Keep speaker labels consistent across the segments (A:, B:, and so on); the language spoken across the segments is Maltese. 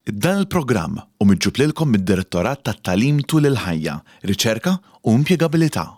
A: Dan il-programm hu miġjub lilkom mid-Direttorat tat-Tagħlim Tul il-Ħajja, Riċerka u Impjegabilità.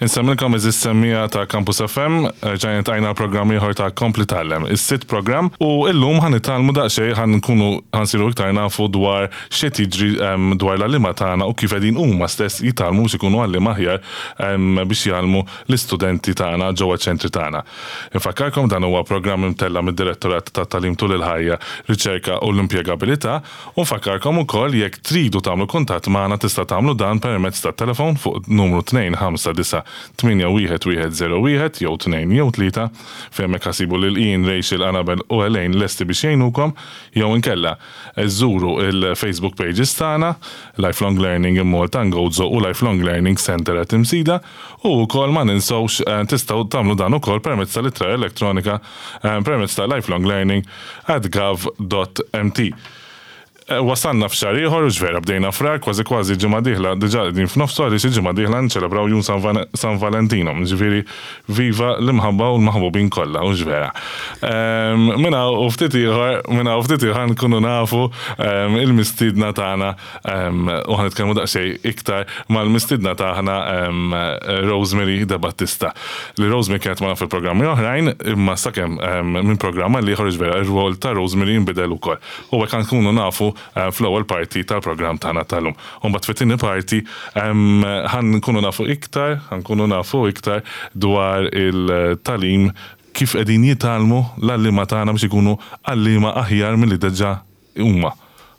B: Insemmilkom eżis semmija ta' Campus FM, ġajna tajna programm ieħor ta' Kompli Tgħallem, is-sitt programm, u illum ħa nitgħallmu daqsxejn ħa nkunu ħa nsiru iktar nafu dwar x'qed jiġri dwar l-għalliema tagħna u kif qegħdin huma stess jitgħallmu biex ikunu għalliema aħjar biex jgħallmu l-istudenti tagħna ġewwa ċ-ċentri tagħna. Infakkarkom dan huwa programm imtella' mid-Direttorat tat-Tagħlim Tul il-Ħajja, Riċerka u l-Impjegabilità u nfakkarkom ukoll jekk tridu tagħmlu kuntatt magħna tista' tagħmlu dan permezz tat-telefon fuq numru 259 81101 jew 2 jew 3 fejn hemmhekk ħa ssibu lil Ian, Rachel, Annabel u Elaine lesti biex jgħinukom jew inkella żuru l-Facebook pages tagħna Lifelong Learning in Malta and Gozo u Lifelong Learning Centre at Imsida. U wkoll ma ninsewx tistgħu tagħmlu dan ukoll permezz tal-ittra elettronika permezz ta' lifelonglearning at gov dot mt. Wasalna f'xahar ieħor, hux vera, bdejna Frar, kważi kważi ġimgħa dieħla diġà qegħdin f'nofsu għaliex il-ġimgħa dieħla niċċelebraw Jum San Valentino, jiġifieri viva l-imħabba u l-maħbubin kollha, hux vera. Minn hawn u ftit ieħor, minn hawn u ftit ieħor nkunu nafu il-mistiedna tagħna U ħa nitkellmu daqsxejn iktar mal-mistiedna tagħna Rosemary De Battista. Li Rosemary kienet magħna fil-programmi oħrajn, imma sakemm minn programm għal ieħor vera ir-rwol ta' Rosemary jinbidel ukoll. U hekk nkunu nafu fl-ewwel parti tal-programm tagħna tal-lum. U mbagħad fit-tieni parti ħa nkunu nafu iktar, ħa nkunu nafu iktar dwar il-tagħlim kif qegħdin jitgħallmu l-għalliema tagħna biex ikunu għalliema aħjar milli diġà huma.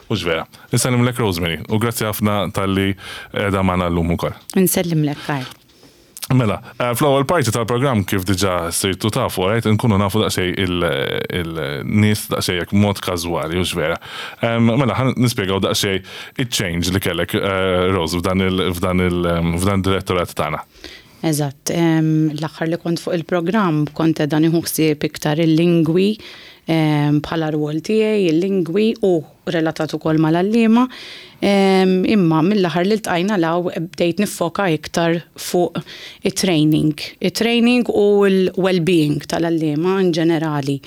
B: Hux vera. Insellimlek Rosemary u grazzi ħafna talli qiegħda magħna llum ukoll.
C: Insellimlek Karl.
B: Mela, eh, fl-ewwel parti tal-programm kif diġà sirtu tafu, right, nkunu nafu daqsxejn il-nies daqsxejn hekk mod każwali, hux vera. Mela, ħa nispjegaw daqsxejn iċ-change li kellek eh, Rose f'dan il-f'dan il-f'dan direttorat tagħna.
C: Eżatt, l-aħħar li kont fuq il-programm kont qiegħda nieħu ħsieb iktar il-lingwi bħala rwol tiegħi, il-lingwi u relatat ukoll mal-għalliema. Imma mill-aħħar li ltqajna 'l hawn bdejt niffoka iktar fuq it-training. It-training u l-well-being tal-għalliema in ġenerali.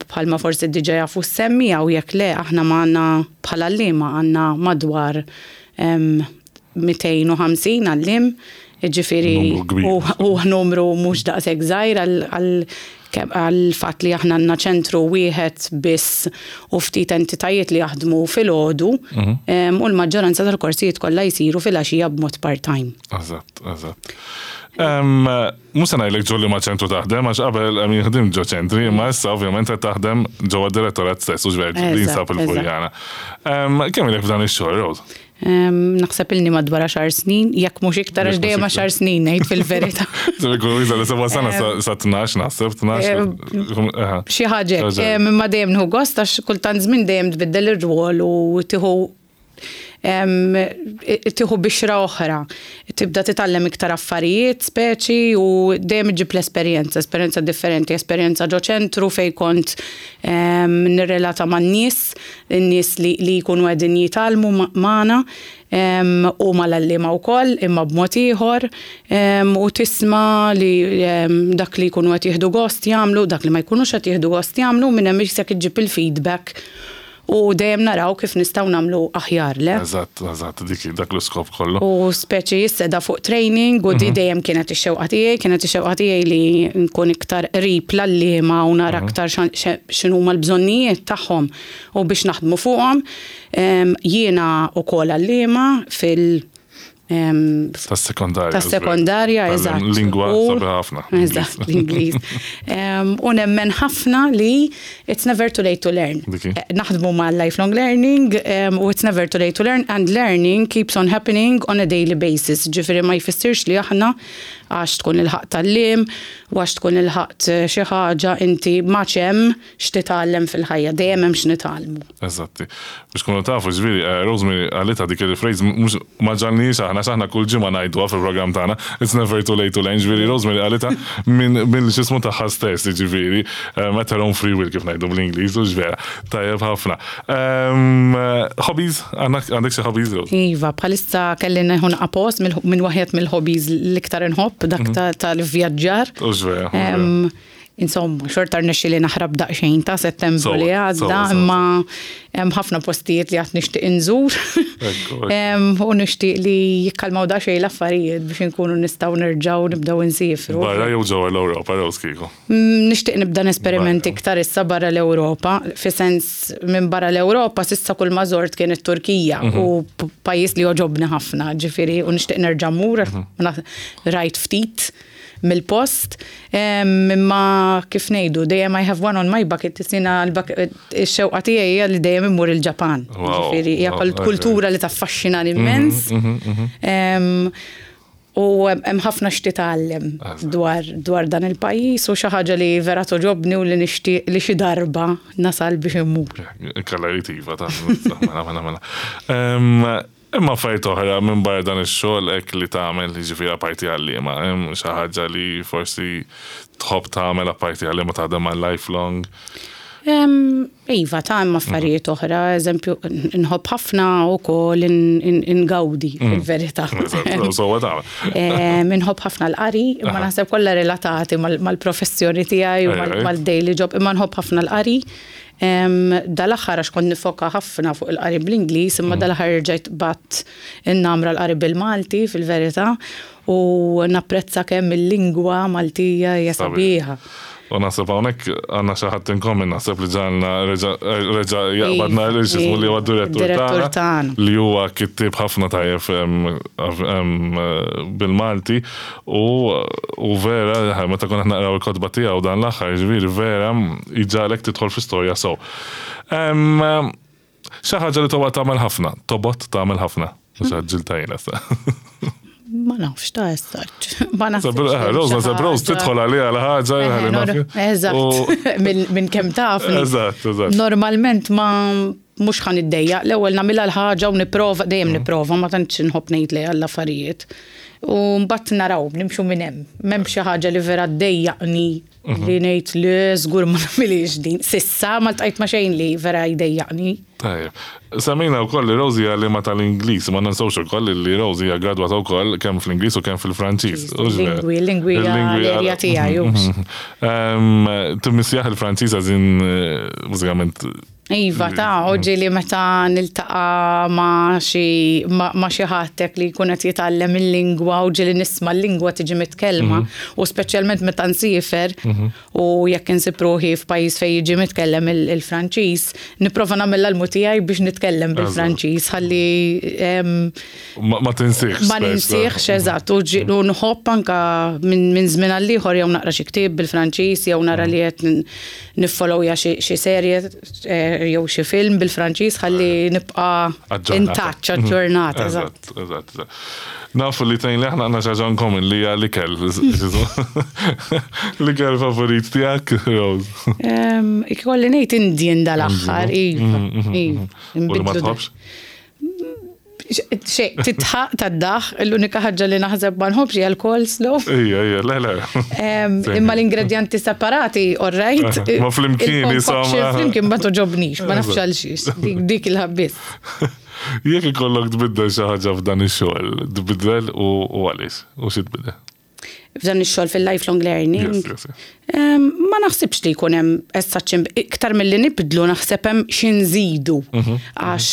C: Bħalma forsi diġà jafu s-semmiegħa u jekk le aħna magħna bħala għalliema għandna madwar 250 għalliem, jiġifieri huwa numru mhux daqshekk żgħir għall-fatt li aħna għandna ċentru wieħed biss u ftit entitajiet li jaħdmu filgħodu mhm. u l-maġġoranza tal-korsijiet kollha jsiru filgħaxija b'mod part-time.
B: Eżatt, eżatt. Mhux se ngħidlek ġo liema ċentru taħdem għax qabel jien ħdimt ġo ċentri, imma issa ovvjament qed taħdem ġewwa d-direttorat stess u ġver li jinsab il-Furjana. Kemm ilek f'dan ix-xogħol, Rose?
C: Naħseb ilni madwar għaxar snin, jekk mhux iktar għax dejjem għaxar snin ngħid fil-verità.
B: Seba sena sa 12 naħseb, 12.
C: Xi ħaġa, imma dejjem nieħu gost għax kultant żmien dejjem tbiddel ir-rwol u tieħu tieħu bixra oħra. Tibda titgħallem iktar affarijiet, speċi u dejjem iġġib l-esperjenza, esperjenza differenti, esperjenza ġo ċentru fejn kont nirrelata man-nies, in-nies li jkunu qegħdin jitgħallmu magħna u mal-għalliema wkoll imma b'mod ieħor u tisma' li dak li jkunu qed jieħdu gost jagħmlu, dak li ma jkunux qed jieħdu gost jagħmlu u minn hemm isek iġġib il-feedback u dejjem naraw kif nistgħu nagħmlu aħjar, le?
B: Eżatt, eżatt, dik dak l-iskop kollu.
C: U speċi issa qiegħda fuq training u di dejjem kienet ix-xewqa tiegħi, kienet ix-xewqa tiegħi li nkun iktar qrib l-għalliema u nara aktar x'inhuma l-bżonnijiet tagħhom u biex naħdmu fuqhom. Jiena wkoll għalliema fil-
B: Tas-sekondarja.
C: Tas-sekondarja, eżatt.
B: Lingwa sabiħa ħafna.
C: Eżatt, l-Ingliż. U nemmen ħafna li it's never too late to learn. Eh, naħdmu ma' lifelong learning u it's never too late to learn and learning keeps on happening on a daily basis. Ġifieri ma jfissirx li aħna għax tkun il-ħaq tal-lim u għax tkun il-ħaqt xi ħaġa inti ma hemm x'titgħallem fil-ħajja, dejjem hemm x'nitgħallmu.
B: Eżatti. Biex tkunu tafu, ġifieri, eh, Rosemary qalitha dik il-phrase mhux ma ġalniex aħna x'aħna kull ġimgħa ngħiduha fil-programm tagħna, it's never too late to learn, ġifieri Rosemary qalitha minn minn x'ismu tagħha stess, ġifieri, eh, at her own free will kif ngħidu bl-Ingliż, u vera, tajjeb ħafna. Ehm, hobbies, għandek xi hobbies, Rose?
C: Iva, bħalissa kelli nieħu naqra post minn waħed mill-hobbies l-iktar inħobb, dak mhm. tal-vjaġġar.
B: U vera. Ehm,
C: Insomma, xorta rnexxieli naħrab daqsxejn ta' Settembru li għadda, imma hemm ħafna postijiet li għad nixtieq inżur. U nixtieq li jikkalmaw daqsxejn l-affarijiet biex inkunu nistgħu nerġgħu nibdew insifru.
B: Barra jew ġewwa l-Ewropa, Rose kieku?
C: Mm, nixtieq nibda nesperimenti iktar issa barra l-Ewropa, fi sens minn barra l-Ewropa s'issa kull ma żort kien it-Turkija mhm. u pajjiż li joġobni ħafna, ġifieri u nixtieq nerġa' mmur, mhm. rajt ftit mill-post, imma kif ngħidu, dejjem I have one on my bucket list, jiena x-xewqa tiegħi hija li dejjem immur il-Ġapan. Ġifieri hija kultura li taffaxxinani mhm, immens. Mhm, mhm. U hemm ħafna x'titgħallem dwar dwar dan il-pajjiż u xi ħaġa li vera toġobni u li nixtieq li xi darba nasal biex immur.
B: Kalla iva ta' mela mela mela. Hemm affarijiet oħra minbarra dan ix-xogħol hekk li tagħmel, jiġifieri apparti għalliema, hemm xi ħaġa li forsi tħobb tagħmel apparti għalliema taħdem ma' Lifelong?
C: Iva, ta' hemm affarijiet oħra, eżempju, nħobb ħafna wkoll ingawdi mm. fil-verità.
B: Sewwa tagħmel.
C: Inħobb ħafna l-qari, imma naħseb kollha relatati mal-professjoni tiegħi u mal-daily job, imma nħobb ħafna l-qari. Dal-aħħar għax kont nifoka ħafna fuq il-qari bl-Ingliż, imma mm. dal-aħħar rġajt bat innamra l-qari bil-Malti fil-verità u napprezza kemm il-lingwa Maltija hija sabiħa.
B: U naħseb hawnhekk għandna xi ħadd in common naħseb li ġalna reġa' jaqbadna li xismu li huwa direttur tagħna li huwa kittieb ħafna tajjeb bil-Malti U vera, meta konna naqraw il-kotba tiegħu dan l-aħħar, ġifieri vera jġagħlek tidħol fi storja sew. Xi ħaġa li tobgħod tagħmel ħafna, tobgħod tagħmel ħafna. Mhux għaġġilta jiena sa.
C: Ma nafx ta' essaċ. Ma nafx.
B: Rose, naħseb Rose tidħol għaliha l-ħaġa.
C: Eżatt. Minn kemm taf.
B: Eżatt, eżatt.
C: Normalment ma mhux ħa niddejjaq, l-ewwel nagħmilha l-ħaġa u nipprova, dejjem mm. nipprova, ma tantx inħobb ngħid le għall-affarijiet. U mbagħad naraw, nimxu minn hemm. M'hemm xi ħaġa li vera ddejjaqni mhm. li ngħid li żgur ma nagħmilix din. Sissa ma ltqajt ma xejn li vera jdejjaqni.
B: Tajjeb. Semmejna wkoll li Rosie hija għalliema tal-Ingliż, ma ninsewx ukoll li Rosie hija gradwata wkoll kemm fl-Ingliż u kemm fil-Franċiż.
C: Lingwi, lingwi l-erja tiegħi.
B: Timmissjah il-Franċiż għażin eh, bażikament
C: Iva, ta' oġi li meta niltaqa' ma' xi ma' xi ħadd hekk li jkun qed jitgħallem il-lingwa u ġieli nisma' l-lingwa tiġi mitkellma mhm. u speċjalment meta nsiefer mhm. u jekk insib ruħi f'pajjiż fejn jiġi mitkellem il-Franċiż, nipprova nagħmel l-almu tiegħi biex nitkellem bil-Franċiż ħalli
B: ma tinsieħx.
C: Ma ninsieħx, eżatt, u nħobb anka minn żmien għal ieħor jew naqra xi ktieb bil-Franċiż jew nara li qed niffollowja xi serje eh, jew xi film bil-Franċiż ħalli nibqa' in touch, aġġornata.
B: Eżatt, eżatt. Nafu li tnejn li aħna għandna xi ħaġa in common li hija l-ikel. L-ikel favorit tiegħek, Rose?
C: Ikolli ngħid Indian dal-aħħar, iva. Mhm, mhm,
B: iva. Mhm. U li ma tħobbx?
C: Xej, titħaq tad-daħ, l-unika ħaġa li naħseb ma nħobbx hija l-coleslaw.
B: Ija, ija, le, le.
C: Imma l-ingredjanti separati, all right.
B: Ma flimkien,
C: insomma. Flimkien ma toġobnix, ma nafx għal xiex, dik il-ħabbis.
B: Jekk ikollok tbiddel xi ħaġa f'dan ix-xogħol, tbiddel u għaliex, u xi tbiddel?
C: F'dan ix-xogħol fil-lifelong learning.
B: Yes, yes, yes.
C: Ma naħsibx li jkun hemm as such iktar milli nibdlu naħseb hemm xi nżidu. Mhm. Għax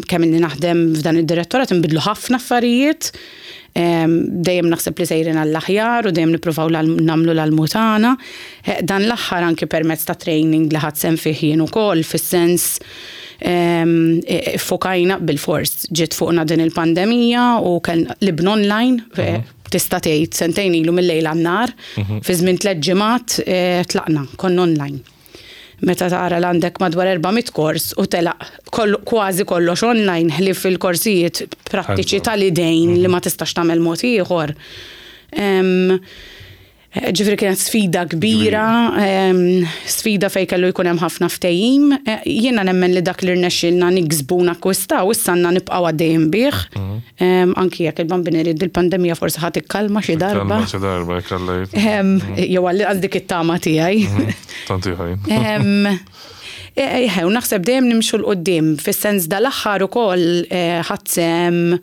C: kemm inni naħdem f'dan id-direttorat inbidlu ħafna affarijiet. Dejjem naħseb li sejrin għall-aħjar u dejjem nippruvaw nagħmlu l-almu tagħna. Dan l-aħħar anki permezz ta' training li ħadt sehem fih jien ukoll fis-sens iffokajna bilfors ġiet fuqna din il-pandemija u kellna qlibna online tista' tgħid sentejn ilu mil-lejl għan-nhar, fi żmien tlett ġimgħat tlaqna, konna online. Meta tara li għandek madwar 400 kors u telaq kważi kollox online ħlief il-korsijiet prattiċi tal-idejn li ma tistax tagħmel mod ieħor. Ġifieri kienet sfida kbira, sfida fejn kellu jkun hemm ħafna ftehim. Jiena nemmen li dak li rnexxielna niksbu u nakkwistaw issa għandna nibqgħu għaddejjin bih. Anki jekk il-Bambin irid il-pandemija forsi ħa tikkalma xi darba.
B: Tikkalma xi darba, jekk Alla jrid.
C: Jew għall-inqas dik it-tama tiegħi.
B: Tant ieħor jien.
C: Eħe, u naħseb dejjem nimxu 'l quddiem, fis-sens dal-aħħar ukoll ħadt sehem,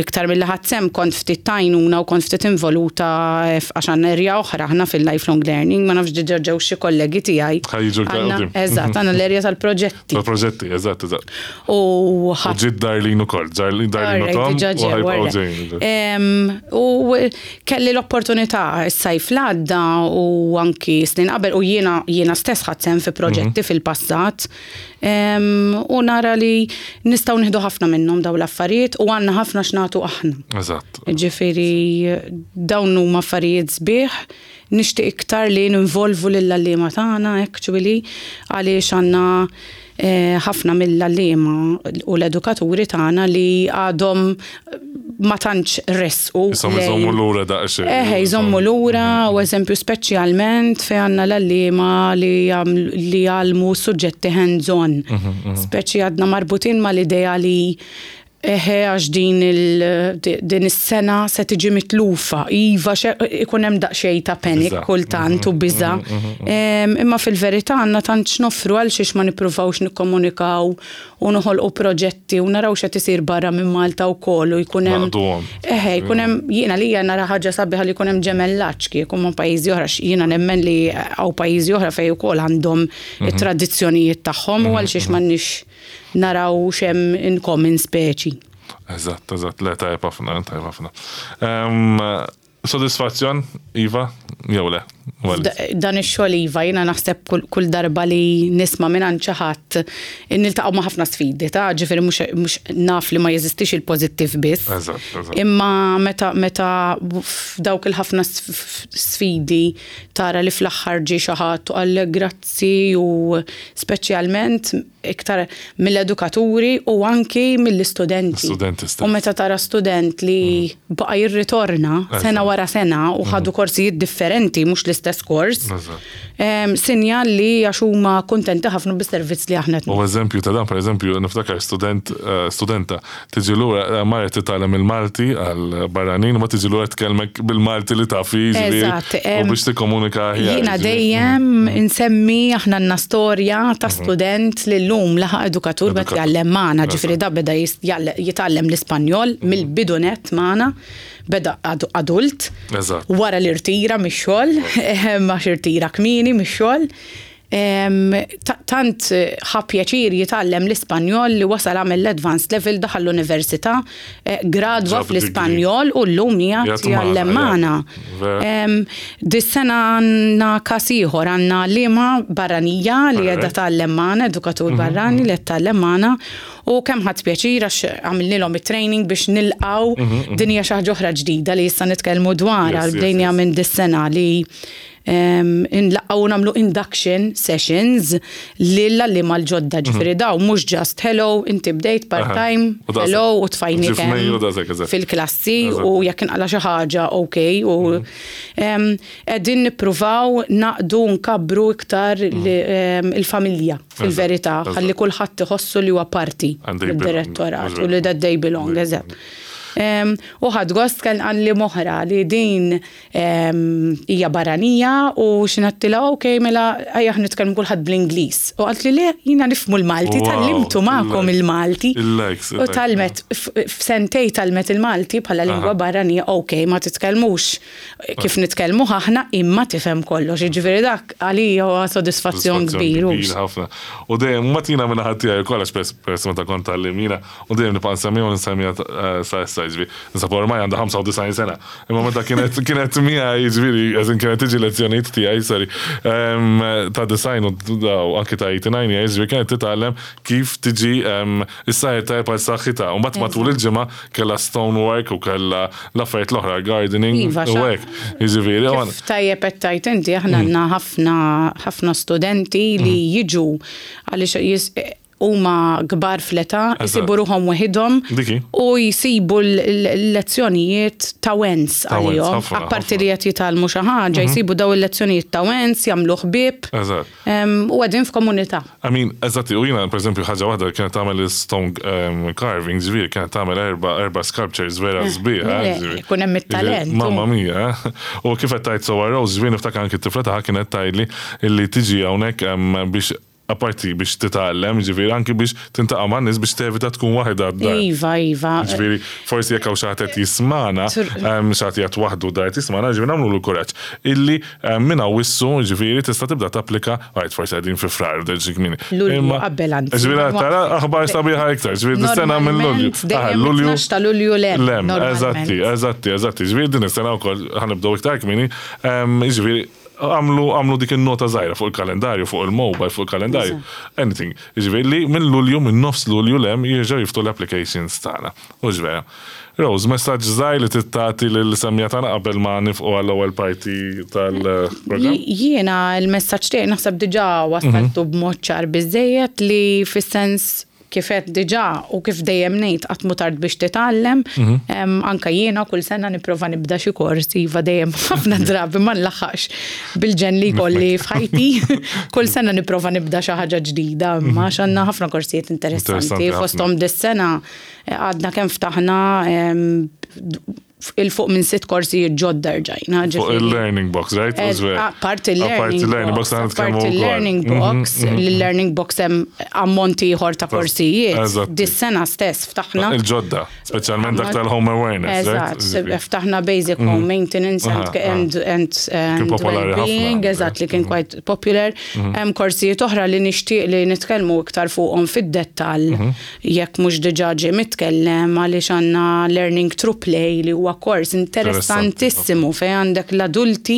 C: iktar milli ħadt sehem kont ftit t'għajnuna u kont ftit involuta għax għandna area oħra aħna fil-lifelong learning, ma nafx diġà ġew xi kollegi tiegħi.
B: Ħa jiġu iktar quddiem.
C: Eżatt, għandna l-area tal-proġetti.
B: Tal-proġetti, eżatt, eżatt.
C: U
B: ħadd. U ġiet Darlene ukoll, Darlene u Tom.
C: Diġà ġew.
B: U ħa jibqgħu ġejjin.
C: U Kelli l-opportunità s-sajf l-għadda u anki snin qabel u jiena jiena stess ħadt sehem fi proġetti mhm. fil-passat u nara li nistgħu nieħdu ħafna minnhom dawn l-affarijiet u għandna ħafna x'nagħtu aħna.
B: Eżatt.
C: Ġifieri dawn huma affarijiet sbieħ nixtieq iktar li ninvolvu lill-għalliema tagħna actually għaliex għandna ħafna mill-għalliema u l-edukaturi tagħna li għadhom ma tantx resqu.
B: Isom iżommu lura daqsxejn.
C: Eħe, jżommu lura u eżempju speċjalment fejn għandna l-għalliema li li jgħallmu suġġetti hands-on. Mhm, mhm. Speċi għadna marbutin mal-idea li Eħe għax din il din is-sena se tiġi mitlufa. Iva ikun hemm daqsxejn ta' panic kultant u biża'. Imma fil-verità għandna tant x'noffru għal xiex ma nippruvawx nikkomunikaw u noħolqu proġetti u naraw x'qed isir barra minn Malta wkoll u jkun hemm. Eħe jkun hemm jien għalija nara ħaġa sabiħa li jkun hemm ġemellaġġ kieku ma' pajjiżi oħra għax jiena nemmen li hawn pajjiżi oħra fejn ukoll għandhom it-tradizzjonijiet tagħhom u għal xiex m'għandniex naraw x'hemm in common speċi.
B: Eżatt, eżatt, le tajjeb ħafna, tajjeb ħafna. Sodisfazzjon, Iva, jew le?
C: Dan ix-xogħol iva, jiena naħseb kull darba li nisma' mingħand xi ħadd niltaqgħu ma' ħafna sfidi, ta' ġifieri mhux naf li ma jeżistix il-pożittiv biss.
B: Eżatt, eżatt.
C: Imma meta meta f'dawk il-ħafna sfidi tara li fl-aħħar ġie xi ħadd u qallek grazzi u speċjalment iktar mill-edukaturi u anki mill-istudenti.
B: Studenti stess.
C: U meta tara student li mm. baqa jirritorna sena wara sena u ħadu mm. korsijiet differenti, mhux l-istess kors. Sinjal li għax huma kuntenti ħafna bis-servizz li aħna.
B: U eżempju ta' dan, per eżempju, niftakar student, eh, studenta tiġi lura eh, marret titgħallem il-Malti għal barranin u ma tiġi lura tkellmek bil-Malti li taf
C: Eżatt.
B: U biex tikkomunika
C: aħjar. Jiena dejjem mm. insemmi aħna għandna storja ta' mhm. student li llum laħaq edukatur bet jgħallem magħna, ġifieri da beda jitgħallem l-Ispanjol mhm. mill-bidu nett magħna beda adult. Wara li rtira mix-xogħol, għax irtira kmieni mix-xogħol. Tant ħa pjaċir jitgħallem l-Ispanjol li wasal għamel l-advanced level, daħal l-università, gradwa fl-Ispanjol u llum qiegħed jgħallem magħna. Dis-sena għandna każ ieħor, għandna għalliema barranija li qiegħda tgħallem magħna, edukatur barrani li qed tgħallem magħna u kemm ħadt pjaċir għax għamilnielhom it-training biex nilqgħu din hija xi ħaġa oħra ġdida li issa nitkellmu dwarha, bdejniha minn dis-sena li Inlaqqgħu u nagħmlu induction sessions lill-għalliema l-ġodda, mhm. ġifieri daw mhux just hello, inti bdejt part-time, hello u tfajni fil-klassi u jekk inqala xi ħaġa ok u mhm. qegħdin nippruvaw naqdu nkabbru iktar mhm. il-familja fil-verità ħalli kulħadd iħossu li huwa parti mid-direttorat u li that they belong, eżatt. U ħadd gost kien għalli moħra li din Hija barranija u xi ngħidtilha ok mela ejja aħna nitkellmu kulħadd bl-Ingliż. U qaltli le jiena nifhmu l-Malti tgħallimtu magħkom il-Malti. U tgħallmet f'sentej tgħallmet il-Malti bħala lingwa barranija ok ma titkellmux kif nitkellmuh aħna imma tifhem kollox. Jiġifieri dak għalija huwa sodisfazzjon kbir.
B: Kbir ħafna. U dejjem mbagħad jiena minn naħa tiegħi wkoll għax peress meta kont tgħallim jiena u dejjem nibqa' nsemmiha u nsemmiha sa issa. issa jiġifieri, Ninsab ormai għandha 95 sena. Imma meta kienet kienet miegħi jiġifieri, as in kienet tiġi lezzjonijiet tiegħi, sorry, ta' design u anki ta' 89 years, jiġifieri kienet titgħallem kif tiġi issajjar tajjeb għal saħħitha. U mbagħad matul il-ġimgħa kellha stonework u kellha l-affarijiet l-oħra, gardening
C: Iva,
B: u hekk. Jiġifieri.
C: Kif tajjeb qed tgħid inti, aħna għandna ħafna ħafna studenti li jiġu għaliex huma kbar fl-età, isibu ruħhom weħidhom u jsibu l-lezzjonijiet ta' wens għalihom. Apparti li qed jitgħallmu xi ħaġa, jsibu daw il-lezzjonijiet ta' wens, jagħmlu ħbieb. U qegħdin f'komunità.
B: I mean, eżatti, u jiena pereżempju ħaġa waħda li kienet tagħmel stone carving, ġifieri kienet tagħmel erba' sculptures vera sbieħ.
C: Ikun hemm it-talent.
B: Mamma mia. U kif qed tgħid sewwa Rose, ġifieri niftakar anki t-tifla tagħha kienet tgħidli li tiġi hawnhekk biex Apparti biex titgħallem, jiġifieri anki biex tintaqa' man-nies biex tevita tkun waħedha d-dar.
C: Iva, iva.
B: Jiġifieri forsi jekk hawn xi ħadd qed jismagħna, xi ħadd qiegħed waħdu d-dar qed jismagħna, jiġifieri nagħmlulu kuraġġ illi minn Awwissu jiġifieri tista' tibda tapplika, għid forsi qegħdin fi Frar, xi kmieni.
C: Lulju qabel anzi.
B: Jiġifieri tara aħbar sabiħa iktar, jiġifieri dis-sena minn Lulju.
C: Dejjem 12 ta' Lulju 'l hemm.
B: Eżatti, eżatti, eżatti. Jiġifieri din is-sena wkoll ħa nibdew iktar kmieni, jiġifieri Għamlu għamlu dik in-nota żgħira fuq il-kalendarju, fuq il-mobile, fuq il-kalendarju. Anything. Jiġifieri li minn Lulju, minn nofs Lulju 'l hemm jerġgħu jiftħu l-applications tagħna. Hux vera? Rose, messaġġ żgħir li trid tagħti lill-semmiegħa tagħna qabel ma nifqu għall-ewwel parti tal-programm?
C: Jiena l-messaġġ tiegħi naħseb diġà wassaltu b'mod ċar biżżejjed li fis-sens Kif għedt diġà u kif dejjem ngħid qatt mhu tard biex titgħallem. Anke jiena kull sena nipprova nibda xi kors, iva dejjem ħafna drabi ma nlaħħaqx bil-ġenn li jkolli f'ħajti. Kull sena nipprova nibda xi ħaġa ġdida imma għax għandna ħafna korsijiet interessanti. Fosthom dis-sena għadna kemm ftaħna 'il fuq minn sitt korsijiet ġodda rġajna.
B: Fuq il-learning box, right?
C: Apparti il-learning box, apparti il-learning box, l-learning box hemm ammont ieħor ta' korsijiet. Dis-sena stess ftaħna.
B: Il-ġodda, speċjalment dak tal-home awareness.
C: Eżatt, ftaħna basic home maintenance and well-being, eżatt li kien quite popular. Hemm korsijiet oħra li nixtieq li nitkellmu iktar fuqhom fid-dettall jekk mhux diġà ġie mitkellem għaliex għandna Learning Through Play li huwa kors interessantissimu fejn għandek l-adulti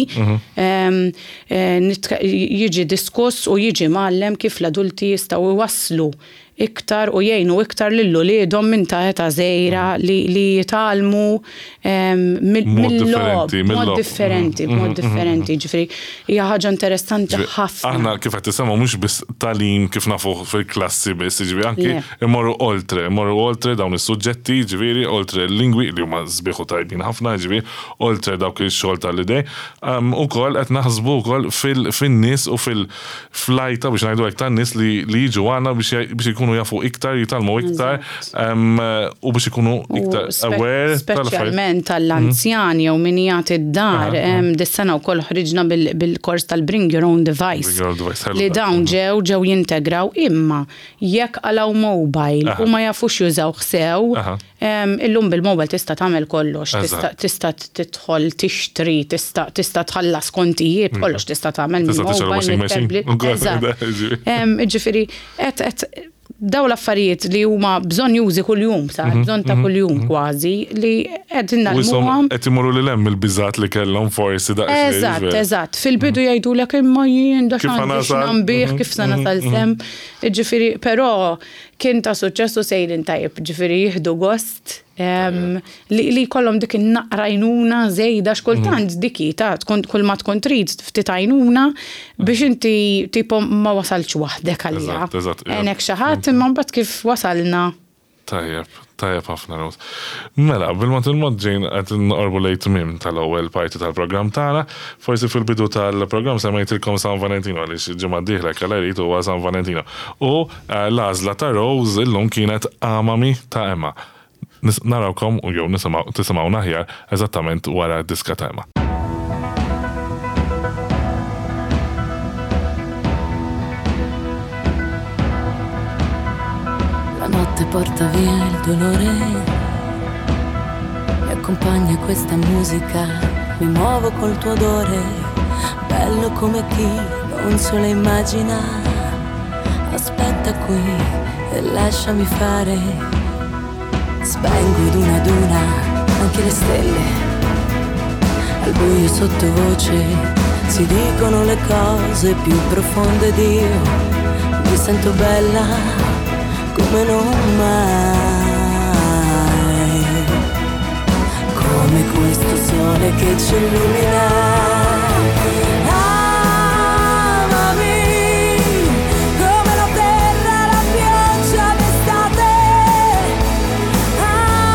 C: jiġi diskuss u jiġi mgħallem kif l-adulti jistgħu jwasslu iktar u jgħinu iktar lil uliedhom minn ta' età żgħira li jitgħallmu mill-logħob, b'mod differenti, b'mod differenti, ġifieri hija ħaġa interessanti ħafna.
B: Aħna kif qed tisemgħu mhux biss tagħlim kif nafuh fil-klassi biss, jiġifieri anki immorru oltre, immorru oltre dawn is-suġġetti, jiġifieri oltre l-lingwi li huma sbieħ u tajbin ħafna, jiġifieri oltre dawk ix-xogħol tal-idej, ukoll qed naħsbu wkoll fin-nies u fil-flajta biex ngħidu hekk tan-nies li jiġu għandna biex ikunu jafu iktar, jitgħallmu iktar u biex ikunu iktar aware.
C: Speċjalment għall-anzjani jew min jagħti d-dar, dis-sena wkoll ħriġna bil-kors tal-Bring Your Own Device. Li dawn ġew ġew jintegraw imma jekk qalgħu mobile u ma jafux jużawh sew, illum bil-mobile tista' tagħmel kollox, tista' tidħol tixtri, tista' tħallas kontijiet, kollox tista' tagħmel
B: mill-mobile, mit-tablet.
C: Ġifieri qed daw l-affarijiet li huma bżonnjużi kuljum, sa bżonn ta' kuljum kważi, li qegħdin
B: ngħallmuhom. Qed imorru lil hemm mill-biżgħat li kellhom forsi
C: daqsxejn. Eżatt, eżatt. Fil-bidu jgħidulek imma jien da x'għandi x'nambih, kif se nasal s'hemm. Jiġifieri, però kien ta' suċċess u sejrin tajjeb, ġifieri jieħdu gost li jkollhom dik in-naqra għajnuna żejda x'kultant dik hi ta' tkun kull ma tkun trid ftit għajnuna biex inti tipo ma wasaltx waħdek għaliha. Għenek xi ħadd imma mbagħad kif wasalna.
B: Tajjeb, tajjeb ħafna Rose. Mela, bil-mod il-mod ġejn qed noqorbu lejn tmiem tal-ewwel parti tal-programm tagħna. Forsi fil-bidu tal-programm semmejtilkom San Valentino għaliex il-ġimgħa d-dieħla jekk Alla jrid huwa San Valentino. U l-għażla ta' Rose illum kienet Amami ta' Emma. Narawkom u jew nisimgħu tisimgħuna aħjar eżattament wara d-diska ta' Emma.
D: La notte porta via il dolore, mi accompagna questa musica, mi muovo col tuo odore, bello come chi non se lo immagina. Aspetta qui e lasciami fare. Spengo ad una ad una anche le stelle. Al buio sottovoce si dicono le cose più profonde ed io mi sento bella come non mai. Come questo sole che ci illumina. Amami come la terra, la pioggia d'estate. Amami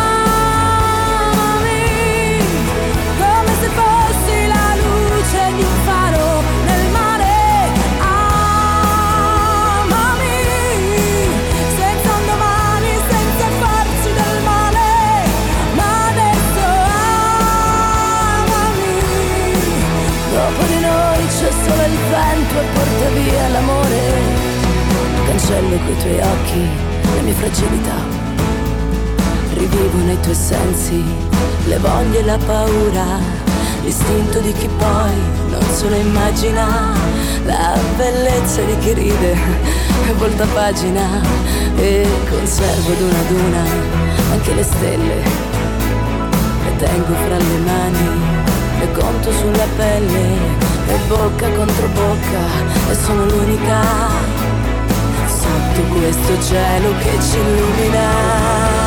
D: come se fossi la luce di un faro nel mare. Amami senza un domani, senza farci del male. Ma adesso amami. Dopo di noi c'è solo il vento e porta via l'amore. Cancello coi tuoi occhi le mie fragilità. Rivivo nei tuoi sensi le voglie e la paura, l'istinto di chi poi non se lo immagina, la bellezza di chi ride e volta pagina e conservo ad una ad una anche le stelle. Le tengo fra le mani, le conto sulla pelle e bocca contro bocca e sono l'unica sotto questo cielo che ci illumina.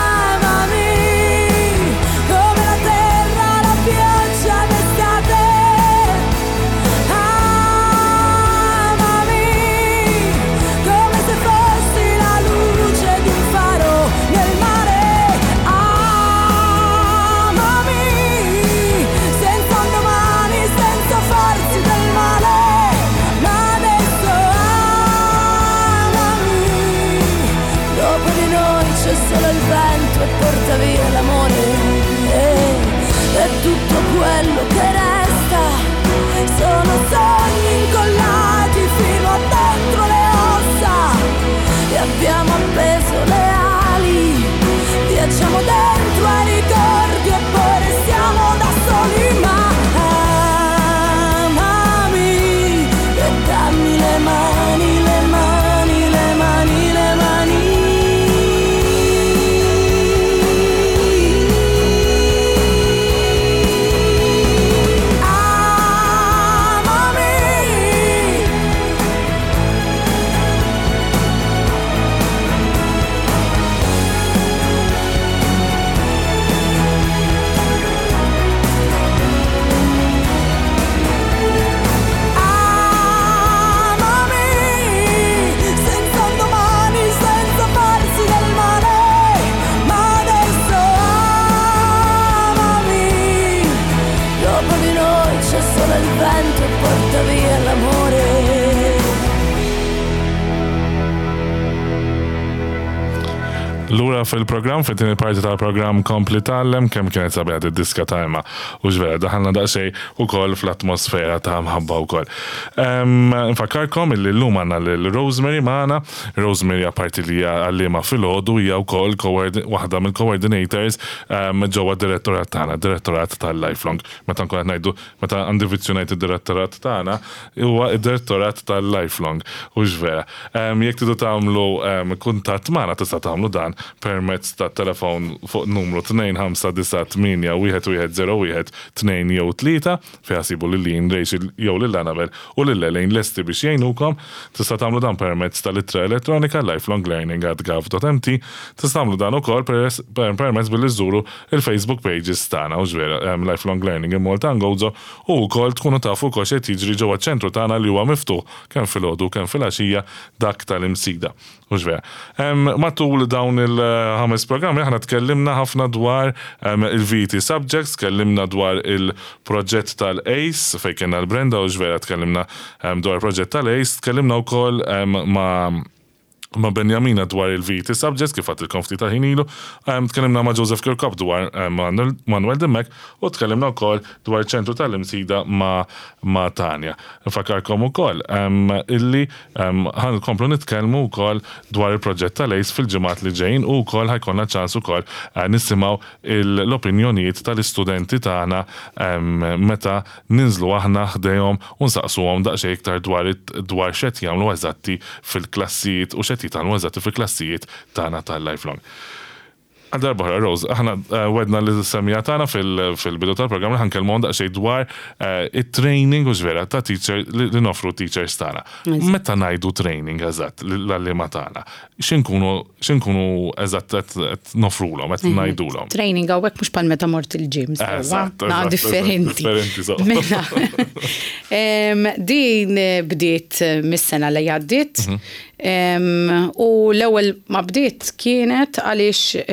D: Amami come la terra, la pioggia d'estate. Amami come se fossi la luce di un faro nel mare. Amami senza un domani, senza farsi del male. Ma adesso amami. Dopo di noi c'è solo il vento e porta via l'amore. E tutto quello che resta sono sogni incollati fino a dentro le ossa. E abbiamo appeso le ali, viaggiamo dentro ai ricordi e poi restiamo da soli. Ma amami e dammi le mani, le mani, le mani, le mani. Amami. Amami senza un domani, senza farsi del male. Ma adesso amami. Dopo di noi c'è solo il vento e porta via l'amore.
B: Lura fil-programm, fit-tieni parti tal-programm Kompli Tgħallem, kemm kienet sabiħa d-diska ta' Emma. U x'vera, daħalna daqsxejn ukoll fl-atmosfera ta' mħabba wkoll. Nfakkarkom illi llum għandna lil Rosemary magħna. Rosemary apparti li hija għalliema filgħodu hija wkoll waħda mill-coordinators ġewwa d-direttorat tagħna, direttorat tal-Lifelong. Meta nkun qed ngħidu, meta għandi vizzju ngħid id-direttorat tagħna, huwa id-direttorat tal-Lifelong. U x'vera. Jekk tridu tagħmlu kuntatt magħna tista' tagħmlu dan permezz ta' telefon fuq numru 2598 1101 2 jew 3 fejn ssibu lil Lin, Rachel jew lil Annabel u lil Elaine lesti biex jgħinukom. Tista' tagħmlu dan permezz tal-ittra elettronika lifelonglearning@gov.mt. Tista' tagħmlu dan ukoll permezz billi żżuru il-Facebook pages tagħna u x'vera Lifelong Learning in Malta and Gozo u wkoll tkunu tafu wkoll x'qed jiġri ġewwa ċ-ċentru tagħna li huwa miftuħ kemm filgħodu u kemm filgħaxija dak tal-Imsida. Mhux vera. Matul dawn il-ħames programmi aħna tkellimna ħafna dwar il-VT subjects, tkellimna dwar il-proġett tal-ACE fejn kienna l-Brenda u x'vera tkellimna dwar il-proġett tal-ACE, tkellimna wkoll ma' ma' Benjamina dwar il-VT subjects kif għedtilkom ftit ta' ħin ilu, tkellimna ma' Joseph Kirkop dwar Manuel Dimech u tkellimna wkoll dwar ċentru tal-Imsida ma' ma' Tanja. Nfakkarkom ukoll illi ħa nkomplu nitkellmu wkoll dwar il-proġett tal-ACE fil-ġimgħat li ġejjin u wkoll ħa jkollna ċans ukoll nisimgħu l-opinjonijiet tal-istudenti tagħna meta ninżlu aħna ħdejhom u nsaqsuhom daqsxejn iktar dwar dwar x'qed jagħmlu eżatti fil-klassijiet u x'qed. x'qed jitgħallmu eżatti fil-klassijiet tagħna tal-lifelong. Għal darba oħra, Rose, aħna wedna lis-semmiegħa tagħna fil-bidu tal-programm li ħa nkellmuhom daqsxejn dwar it-training hux vera ta' teacher li noffru t-teachers tagħna. Meta ngħidu training eżatt lill-għalliema tagħna, x'inkunu x'inkunu eżatt qed noffrulhom, qed ngħidulhom?
C: Training hawnhekk mhux bħal meta mort il-gym, sewwa? Naqra differenti.
B: Differenti sewwa.
C: Mela, din bdiet mis-sena li għaddiet. U l-ewwel ma bdiet kienet għaliex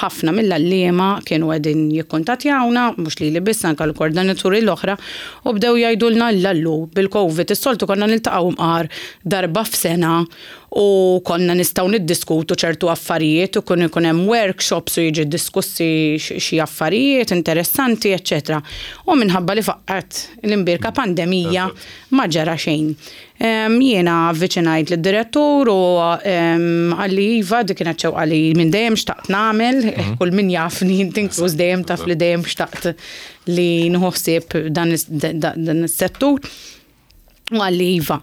C: ħafna mill-għalliema kienu qegħdin jikkuntattjawna, mhux lili biss anke l-koordinaturi l-oħra, u bdew jgħidulna illa llu bil-Covid is-soltu konna niltaqgħu mqar darba f'sena u konna nistgħu niddiskutu ċertu affarijiet u kien ikun hemm workshops u jiġi diskussi xi affarijiet interessanti, eċċetera. U minħabba li faqqgħet l-imbierka pandemija ma ġara xejn. Jiena avviċinajt lid-direttur u qalli iva, dik kienet xewqa li minn dejjem xtaqt nagħmel, kull min jafni, inti inkluż dejjem taf li dejjem xtaqt li nieħu ħsieb dan is-settur. U qalli iva.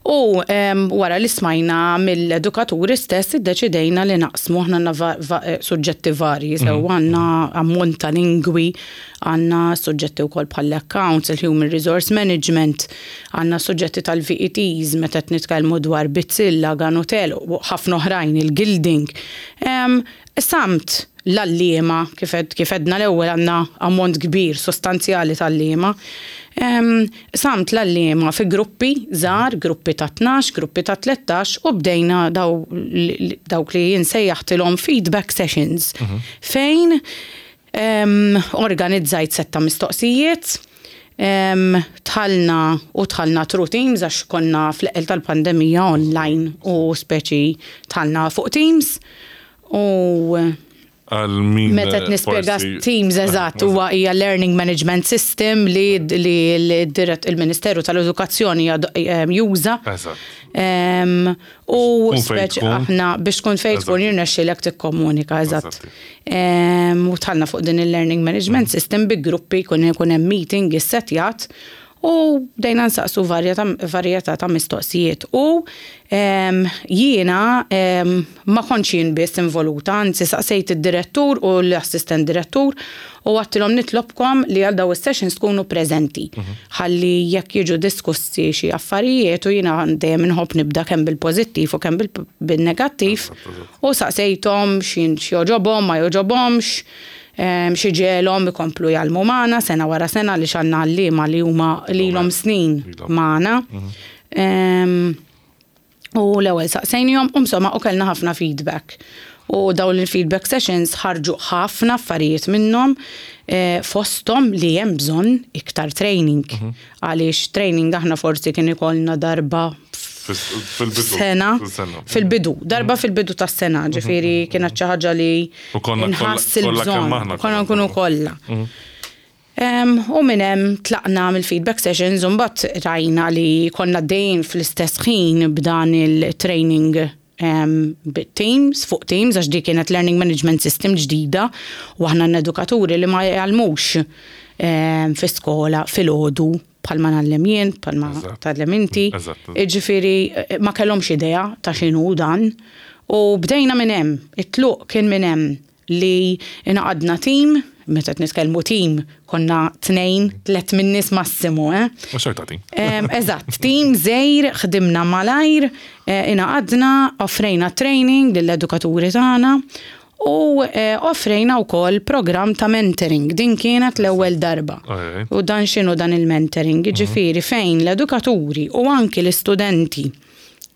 C: U wara li smajna mill-edukaturi stess iddeċidejna li naqsmu, aħna għandna suġġetti varji, sew għandna ammont ta' lingwi, għandna suġġetti wkoll bħall-accounts, il-human resource management, għandna suġġetti tal-VETs meta qed nitkellmu dwar bizzilla, ganutel, u ħafna oħrajn, il-gilding. Samt l-għalliema, kif għedna l-ewwel għandna ammont kbir sostanzjali tal-għalliema. Samt l-għalliema fi gruppi żgħar, gruppi ta' 12, gruppi ta' 13 u bdejna dawk li jinsejjaħtilhom feedback sessions. Fejn organizzajt setta mistoqsijiet, tħallna u tħallna through Teams għax konna fl-eqqel tal-pandemija online u speċi tħallna fuq Teams u
B: Għal min
C: Meta qed nispjega Teams eżatt huwa hija learning management system li li il-Ministeru tal-Edukazzjoni juża. U speċi aħna biex tkun fejn tkun jirnexxielek tikkomunika eżatt. U tħallna fuq din il-learning management system bi gruppi jkun ikun hemm meeting issettjat u bdejna nsaqsu varjetà ta' mistoqsijiet. U jiena ma kontx jien biss involuta, anzi saqsejt id-direttur u l-assistent direttur u għedtilhom nitlobkom li għal daw is-sessions tkunu preżenti. Ħalli jekk jiġu diskussi xi affarijiet u jiena dejjem inħobb nibda kemm bil-pożittiv u kemm bil-negattiv u saqsejthom x'jogħġobhom, ma jogħġobhomx, xi ġegħelhom ikomplu jgħallmu magħna sena wara sena li għandna għalliema li huma lilhom snin magħna. U l-ewwel saqsejnihom u insomma u kellna ħafna feedback. U dawn il-feedback sessions ħarġu ħafna affarijiet minnhom fosthom li hemm bżonn iktar training. Għaliex training aħna forsi kien ikollna darba
B: fil-bidu.
C: Sena. Fil-bidu, darba fil-bidu tas-sena, ġifieri kienet xi ħaġa li
B: U konna
C: inħass
B: kollha kemm
C: il-bżonn.
B: aħna
C: Konna nkunu kollha. U minn hemm tlaqna mill-feedback sessions u mbagħad rajna li konna dejjem fl-istess ħin b'dan il-training bit-Teams, fuq Teams, għax di kienet Learning Management System ġdida u aħna n-edukaturi li ma jgħallmux fi skola fil-ħodu bħalma ngħallem jien, bħalma tgħallem inti. Ġifieri ma kellhomx idea ta' x'inhu dan. U bdejna minn hemm, it-tluq kien minn hemm li ingħaqadna team, meta qed nitkellmu team, konna tnejn, tliet min-nies massimu, eh?
B: U xorta team.
C: Eżatt, team żgħir, ħdimna malajr, ingħaqadna, offrejna training lill-edukaturi tagħna u offrejna wkoll programm ta' mentoring. Din kienet l-ewwel darba. U dan x'inhu dan il-mentoring? Ġifieri fejn l-edukaturi u anki l-istudenti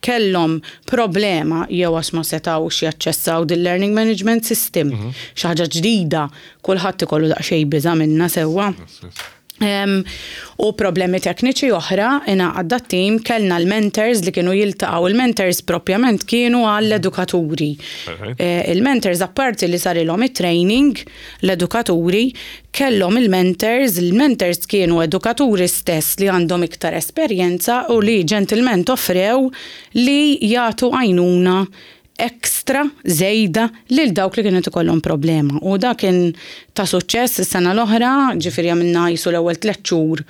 C: kellhom problema jew għax ma setgħux jaċċessaw dil learning management system, xi ħaġa ġdida, kulħadd ikollu daqsxejn biża' minnha sewwa. U problemi tekniċi oħra, ingħaqad dat-team, kellna l-mentors li kienu jiltaqgħu. Il-mentors propjament kienu għall-edukaturi. Il-mentors apparti li sarilhom it-training, l-edukaturi kellhom il-mentors, il-mentors kienu edukaturi stess li għandhom iktar esperjenza u li ġentilment offrew li jagħtu għajnuna ekstra żejda lil dawk li kienu ikollhom problema. U da kien ta' suċċess is-sena l-oħra, ġifieri għamilna jisu l-ewwel 3 xhur.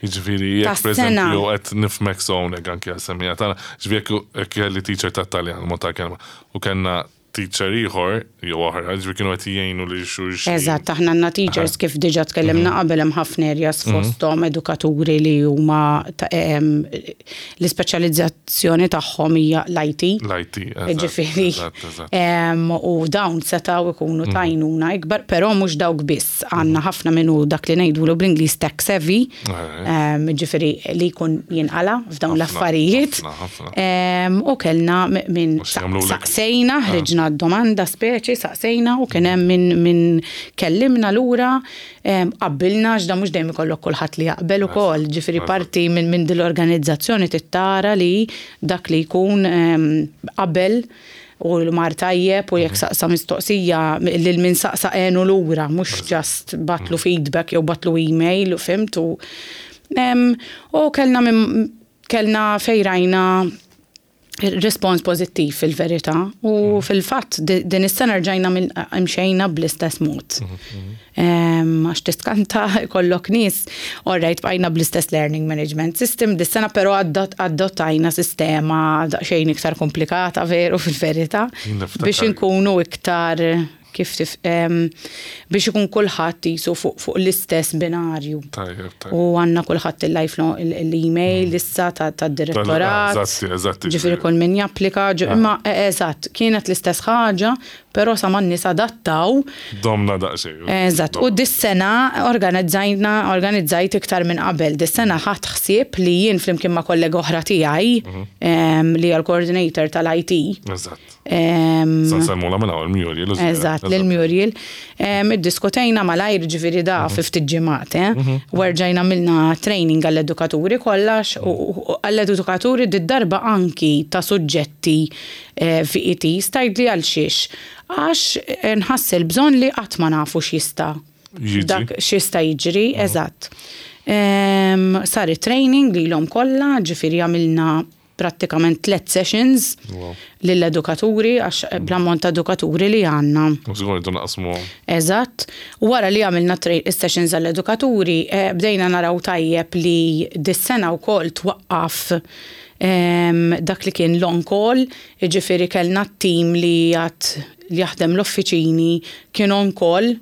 B: Jiġifieri jekk pereżempju qed nifhmek sew hawnhekk anke għas-semmiegħa tagħna, jiġifieri jekk kelli teacher tat-Taljan, mod tal-kelma, u kellna teacher ieħor jew oħra, jiġifieri kienu qed jgħinu lil xulxin.
C: Eżatt, aħna għandna teachers kif diġà tkellimna qabel hemm ħafna areas fosthom edukaturi li huma l-ispeċjalizzazzjoni tagħhom hija l-IT.
B: L-IT, eżatt.
C: Ġifieri. U dawn setgħu jkunu ta' għajnuna ikbar, però mhux dawk biss. Għandna ħafna min hu dak li ngħidulu bl-Ingliż tech savvy, ġifieri li jkun jinqala' f'dawn l-affarijiet. U kellna minn saqsejna, ħriġna d-domanda speċi, saqsejna u kien hemm min kellimna lura, qabbilna għax dan mhux dejjem ikollok kulħadd li jaqbel ukoll, ġifieri parti minn din l-organizzazzjoni trid tara li dak li jkun qabel u mar tajjeb u jekk saqsa mistoqsija lil min saqsa għenu lura, mhux just bagħatlu feedback jew bagħatlu email, fhimt? U kellna minn kellna fejn rajna rispons pożittiv fil-verità u fil-fatt din is-sena rġajna mxejna bl-istess mod. Għax tiskanta jkollok nies, all right, bqajna bl-istess learning management system dis-sena però adottajna sistema daqsxejn iktar komplikata veru fil-verità biex inkunu iktar kif tif, biex ikun kulħadd qisu fuq fuq l-istess binarju.
B: Tajjeb, tajjeb.
C: U għandna kulħadd il-lifelong l-email issa tad-direttorat.
B: Eżatti, eżatti.
C: Ġifieri kull min japplika, imma eżatt, kienet l-istess ħaġa, però sa ma n-nies adattaw.
B: Domna daqsxejn.
C: Eżatt, u dis-sena organizzajna, organizzajt iktar minn qabel. Dis-sena ħadt ħsieb li jien flimkien ma' kollega oħra tiegħi, li hija l-coordinator tal-IT.
B: Eżatt. Sa nsemmula minn hawn Muriel.
C: Eżatt, lil Muriel. Iddiskutejna malajr ġifieri da fi ftit ġimgħat, eh. Mhm. Werġajna għamilna training għall-edukaturi kollha u għall-edukaturi did-darba anki ta' suġġetti eh, VET stajt li għal xiex. Għax eh, nħass il-bżonn li qatt ma nafu x'jista' Dak x'jista' jiġri, mhm. eżatt. Sar it-training lilhom kollha, ġifieri għamilna prattikament tlet sessions lill-edukaturi għax mm. bl-ammont ta' edukaturi li għandna.
B: Żgur irdu naqsmu.
C: Eżatt. Wara li għamilna sessions għall-edukaturi, eh, bdejna naraw tajjeb li dis-sena wkoll twaqqaf ehm, dak li kien long call, jiġifieri kellna t-tim li għad li jaħdem l-offiċini kien on call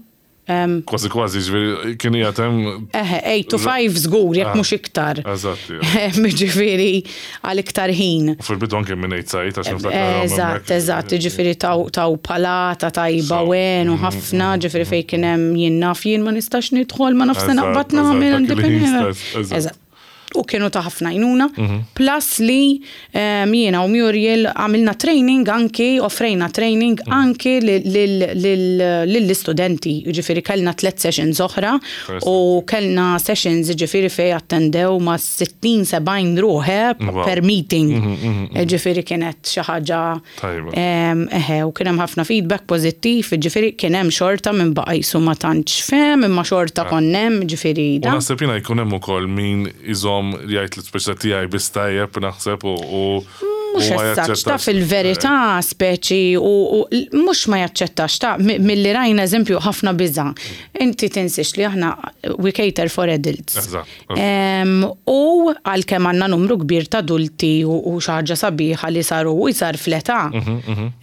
B: Kważi kważi, ġifieri kien qiegħed hemm.
C: Eħe, 8 to 5 żgur, jekk mhux iktar.
B: Eżatt.
C: Ġifieri għal iktar ħin.
B: U fil-bidu anke minn 8 sa 8 għax niftakar.
C: Eżatt, eżatt, ġifieri taw palata tajba wen u ħafna, ġifieri fejn kien hemm jien naf jien ma nistax nidħol, ma naf se naqbad nagħmel għandi Eżatt. U kienu ta' ħafna għajnuna. Plus li jiena u Muriel għamilna training anki, offrejna training anki lill-istudenti. Jiġifieri kellna tliet sessions oħra u kellna sessions jiġifieri fejn attendew ma' 60, 70 ruħ per meeting. Jiġifieri kienet xi ħaġa
B: Tajba.
C: Eħe, u kien hemm ħafna feedback pożittiv, ġifieri kien hemm xorta minn baqa' jisu ma tantx fehem, imma xorta ah. konna hemm, ġifieri.
B: U naħseb jiena jkun hemm ukoll min iżomm jgħid l-ispeċta tiegħi biss tajjeb naħseb u
C: Mhux essaċ ta' fil-verità speċi u mhux ma jaċċettax ta' milli rajna eżempju ħafna biża'. Inti tinsiex li aħna we cater for adults. U għalkemm għandna numru kbir ta' adulti u xi ħaġa sabiħa li saru iżgħar fl-età,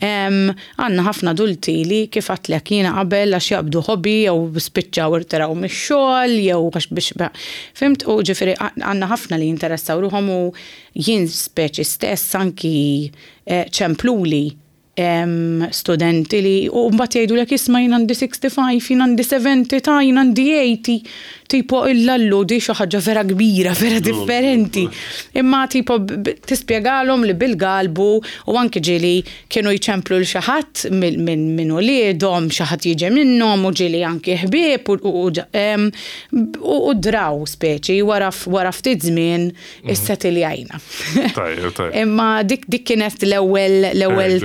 C: għandna ħafna adulti li kif għedtlek jiena qabel għax jaqbdu hobby jew spiċċaw irtiraw mix-xogħol jew għax biex fhimt? U ġifieri għandna ħafna li jinteressaw ruħhom u jien speċi stess anki ċempluli studenti li u mbagħad jgħidulek isma' jien għandi 65, jien għandi 70, ta' jien għandi 80. Tipo illallu di xi ħaġa vera kbira, vera differenti. Imma tipo tispjegalhom li bil-galbu u anki ġieli kienu jċemplu l xi ħadd minn uliedhom, xi ħadd jiġi minnhom u ġieli anki ħbieb u draw speċi wara ftit żmien Issetiljajna.
B: Tajjeb, tajjeb.
C: Imma dik dik kienet l-ewwel l-ewwel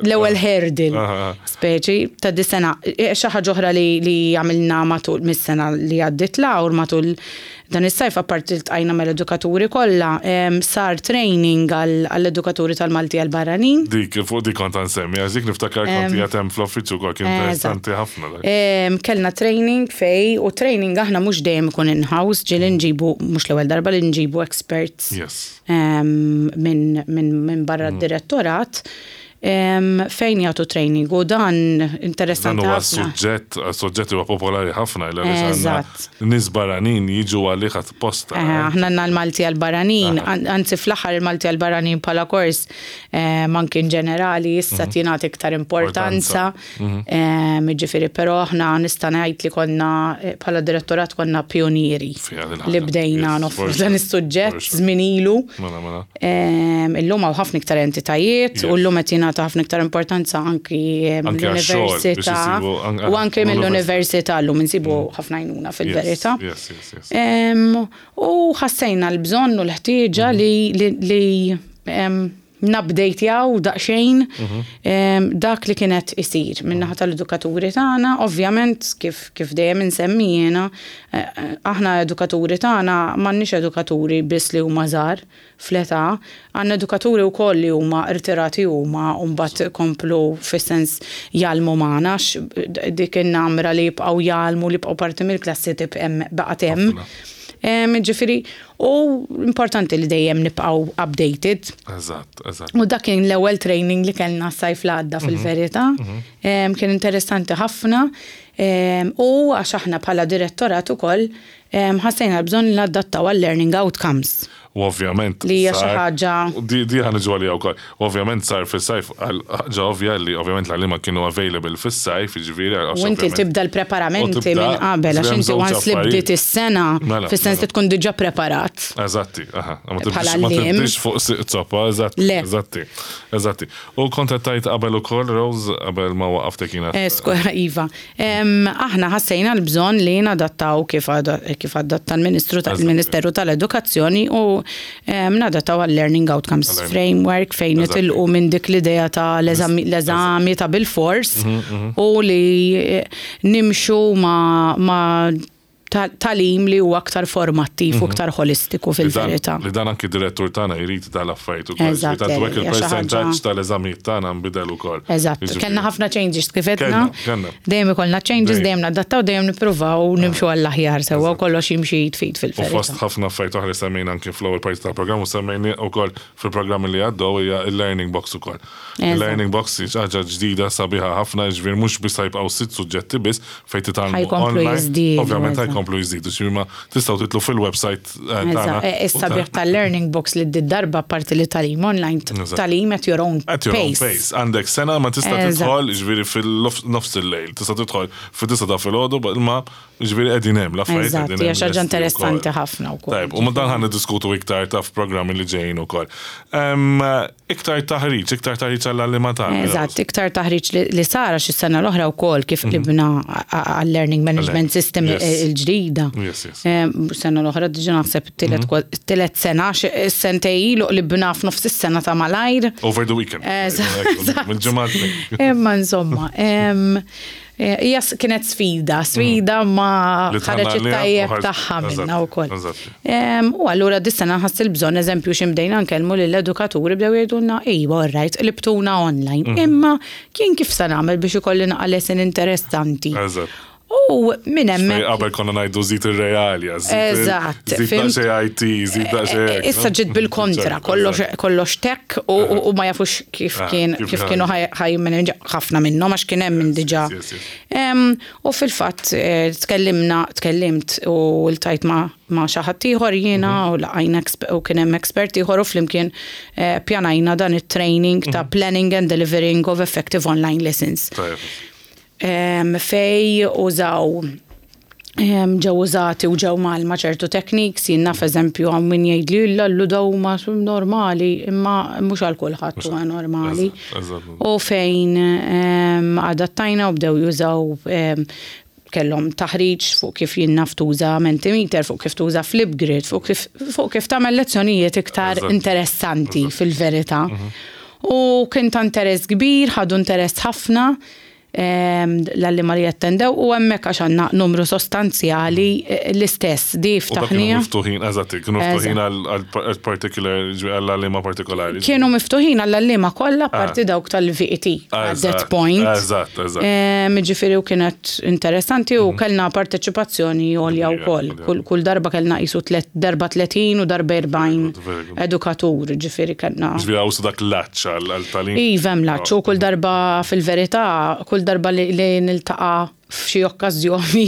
C: l-ewwel hurdle speċi ta' dis-sena. E, xi ħaġa oħra li li għamilna matul mis-sena li għaddiet semmiet Laur matul dan is-sajf apparti ltqajna mal-edukaturi kollha, sar training għall-edukaturi tal-Malti għall-barranin.
B: Dik, fuq dik kont nsemmi, għax dik niftakar kont qiegħed hemm fl-uffiċċju wkoll kien interessanti ħafna dak.
C: Kellna training fej u training aħna mhux dejjem ikun in-house, ġieli nġibu mhux l-ewwel darba li nġibu experts minn barra d-direttorat fejn jagħtu training u dan interessanti.
B: Dan huwa suġġett, suġġett huwa popolari ħafna il għaliex nies barranin jiġu għalih apposta.
C: Aħna għandna l-Malti għall-barranin, anzi fl-aħħar il-Malti għall-barranin bħala kors anki in ġenerali issa tingħata iktar importanza. Jiġifieri però aħna nista' ngħid li konna bħala direttorat konna pionieri li bdejna noffru dan is-suġġett żmien ilu.
B: Mela, mela.
C: Illum hawn ħafna iktar entitajiet u llum qed jingħata ħafna iktar importanza anki mill-università u anki mill-università llum insibu ħafna għajnuna fil-verità. U ħassejna l-bżonn u l-ħtieġa li nabdejtjaw daqsxejn dak li kien qed isir min-naħa tal-edukaturi tagħna, ovvjament kif kif dejjem insemmi jiena, aħna edukaturi tagħna m'għandniex edukaturi biss li huma żgħar fl-età, għandna edukaturi wkoll li huma rtirati huma u mbagħad komplu fis-sens jgħallmu magħna għax dik in-namra li jibqgħu jgħallmu li jibqgħu parti mill-klassi tibqa' hemm baqgħet hemm. Ġifieri, u importanti li dejjem nibqgħu updated.
B: Eżatt, eżatt.
C: U dak kien l-ewwel training li kellna s-sajf li għadda fil-verità. Kien interessanti ħafna. U għax aħna bħala direttorat ukoll ħassejna l-bżonn li nadattaw għal-learning outcomes.
B: U ovvjament.
C: Li hija xi ħaġa.
B: Di ħa niġu għaliha wkoll. Ovvjament sar fis-sajf ħaġa ovvja li ovvjament l-għalliema kienu available fis-sajf, jiġifieri.
C: U inti tibda l-preparamenti minn qabel għax inti once li bdiet is-sena, mela, fis-sens li mela. tkun diġà preparat.
B: Eżatti, aha. Ma tibdix fuq zoppa, eżatti. Eżatti, eżatti. U kont qed tgħid qabel ukoll, Rose, qabel ma waqaftek jiena.
C: Eh, iva. Aħna ħassejna l-bżonn li nadattaw kif adatta l-Ministru tal-Ministeru tal-Edukazzjoni u nadattaw għal-Learning Outcomes Framework fejn nitilqu minn dik l-idea ta' l-eżami ta' bil-fors u li nimxu ma' tagħlim li huwa aktar formattiv u aktar ħolistiku fil-verità.
B: Li dan anki direttur tagħna jrid tal-affarijiet ukoll.
C: Eżatt.
B: Tant hekk il-percentaġġ tal-eżamijiet tagħna nbidel ukoll.
C: Eżatt. Kellna ħafna changes kif għedna. Dejjem ikollna changes, dejjem nadattaw, dejjem nippruvaw nimxu għall-aħjar sewwa u kollox jimxi id f'id fil-verità.
B: U fost ħafna affarijiet oħra li semmejna anki fl-ewwel parti tal-programm u semmejni wkoll fil-programmi li għaddew hija l-learning box ukoll. Il-learning box hi ħaġa ġdida sabiħa ħafna, jiġifieri mhux biss ħajbqgħu sitt suġġetti biss fejn titgħallmu
C: Ħajkomplu
B: online.
C: jiżdiedu,
B: Ovvjament
C: eżatt.
B: ħajkomplu jiżdiedu, ġifieri ma tistgħu titlu fil-website eh, tagħna.
C: Eżatt, eh, Is-sabiħ tal-learning box li d-darba parti li tagħlim online,
B: Eżatt.
C: tagħlim at your own
B: At your own
C: pace.
B: pace. Għandek sena ma tista'
C: Eżatt.
B: tidħol, ġifieri fil-nofs il-lejl, tista' tidħol fid-disa ta' filgħodu, ma ġifieri qegħdin hemm, l-affarijiet
C: Eżatt,
B: qegħdin
C: hija
B: hemm
C: xi ħaġa
B: lesti
C: interessanti
B: wkoll.
C: ħafna wkoll.
B: Tajb, u ma dan ħan niddiskutu iktar ta' f'programmi li ġejjin ukoll. Em, Iktar taħriġ, iktar taħriġ għall-għalliema tagħna.
C: Eżatt, iktar taħriġ li sara xi sena l-oħra wkoll kif qlibna għall-learning management system il-ġdida. Sena l-oħra diġà naħseb it-tielet sena, sentej ilu qlibna f'nofs is-sena ta' malajr.
B: Over the weekend.
C: Eżatt.
B: Mill-ġimgħa.
C: Imma insomma, Hija kienet sfida, sfida mm. ma ħareġ it-tajjeb tagħha minna wkoll. U allura dis-sena ħass il-bżonn eżempju x'imdejna nkellmu lill-edukaturi bdew jgħidulna iva alright, qlibtuna online. Mm. Imma kien kif se nagħmel biex ikolli naqa' lesson interessanti. U minn hemm.
B: Qabel konna ngħidu żid ir-realja,
C: Eżatt.
B: Żid daqsxejn IT, żid daqsxejn.
C: E, e, issa ġiet bil-kontra, kollox tech u ma jafux kif ah, kien kif kienu ħaj ħafna minnhom għax kien hemm minn diġà. U fil-fatt eh, tkellimna, tkellimt u ltajt ma' ma' xi ħadd ieħor jiena mhm. u laqajna u kien hemm expert ieħor u flimkien eh, pjanajna dan it-training ta' mhm. planning and delivering of effective online lessons. Fej użaw ġew użati u ġew mgħallma ċertu techniques, jien naf eżempju hawn min jgħidli illa l daw huma normali, imma mhux għal kulħadd huwa normali. U fejn adattajna u bdew jużaw kellhom taħriġ fuq kif jien naf tuża Mentimeter, fuq kif tuża Flipgrid, fuq kif, fuq kif tagħmel lezzjonijiet iktar interessanti fil-verità. Mhm. U kien ta' interess kbir, ħadu interess ħafna. L-għalliema li attendew u hemmhekk għax għandna numru sostanzjali l-istess di
B: U dak kienu
C: ftaħnija.
B: miftuħin, eżatt, kienu miftuħin għal particular, għal għalliema partikolari.
C: Kienu miftuħin għall-għalliema kollha parti dawk tal-VET at that point.
B: Eżatt, eżatt.
C: Ġifieri u kienet interessanti u kellna parteċipazzjoni għolja
B: Kbira,
C: wkoll.
B: għolja.
C: Kull darba kellna qisu tlet darba 30 u darba 40
B: Very good, very good.
C: edukatur, ġifieri kellna.
B: Ġifieri hawn dak l-latch għal-tagħlim.
C: Iva hemm latch u kull darba fil-verità, kull darba li, li niltaqa' f'xi okkażjoni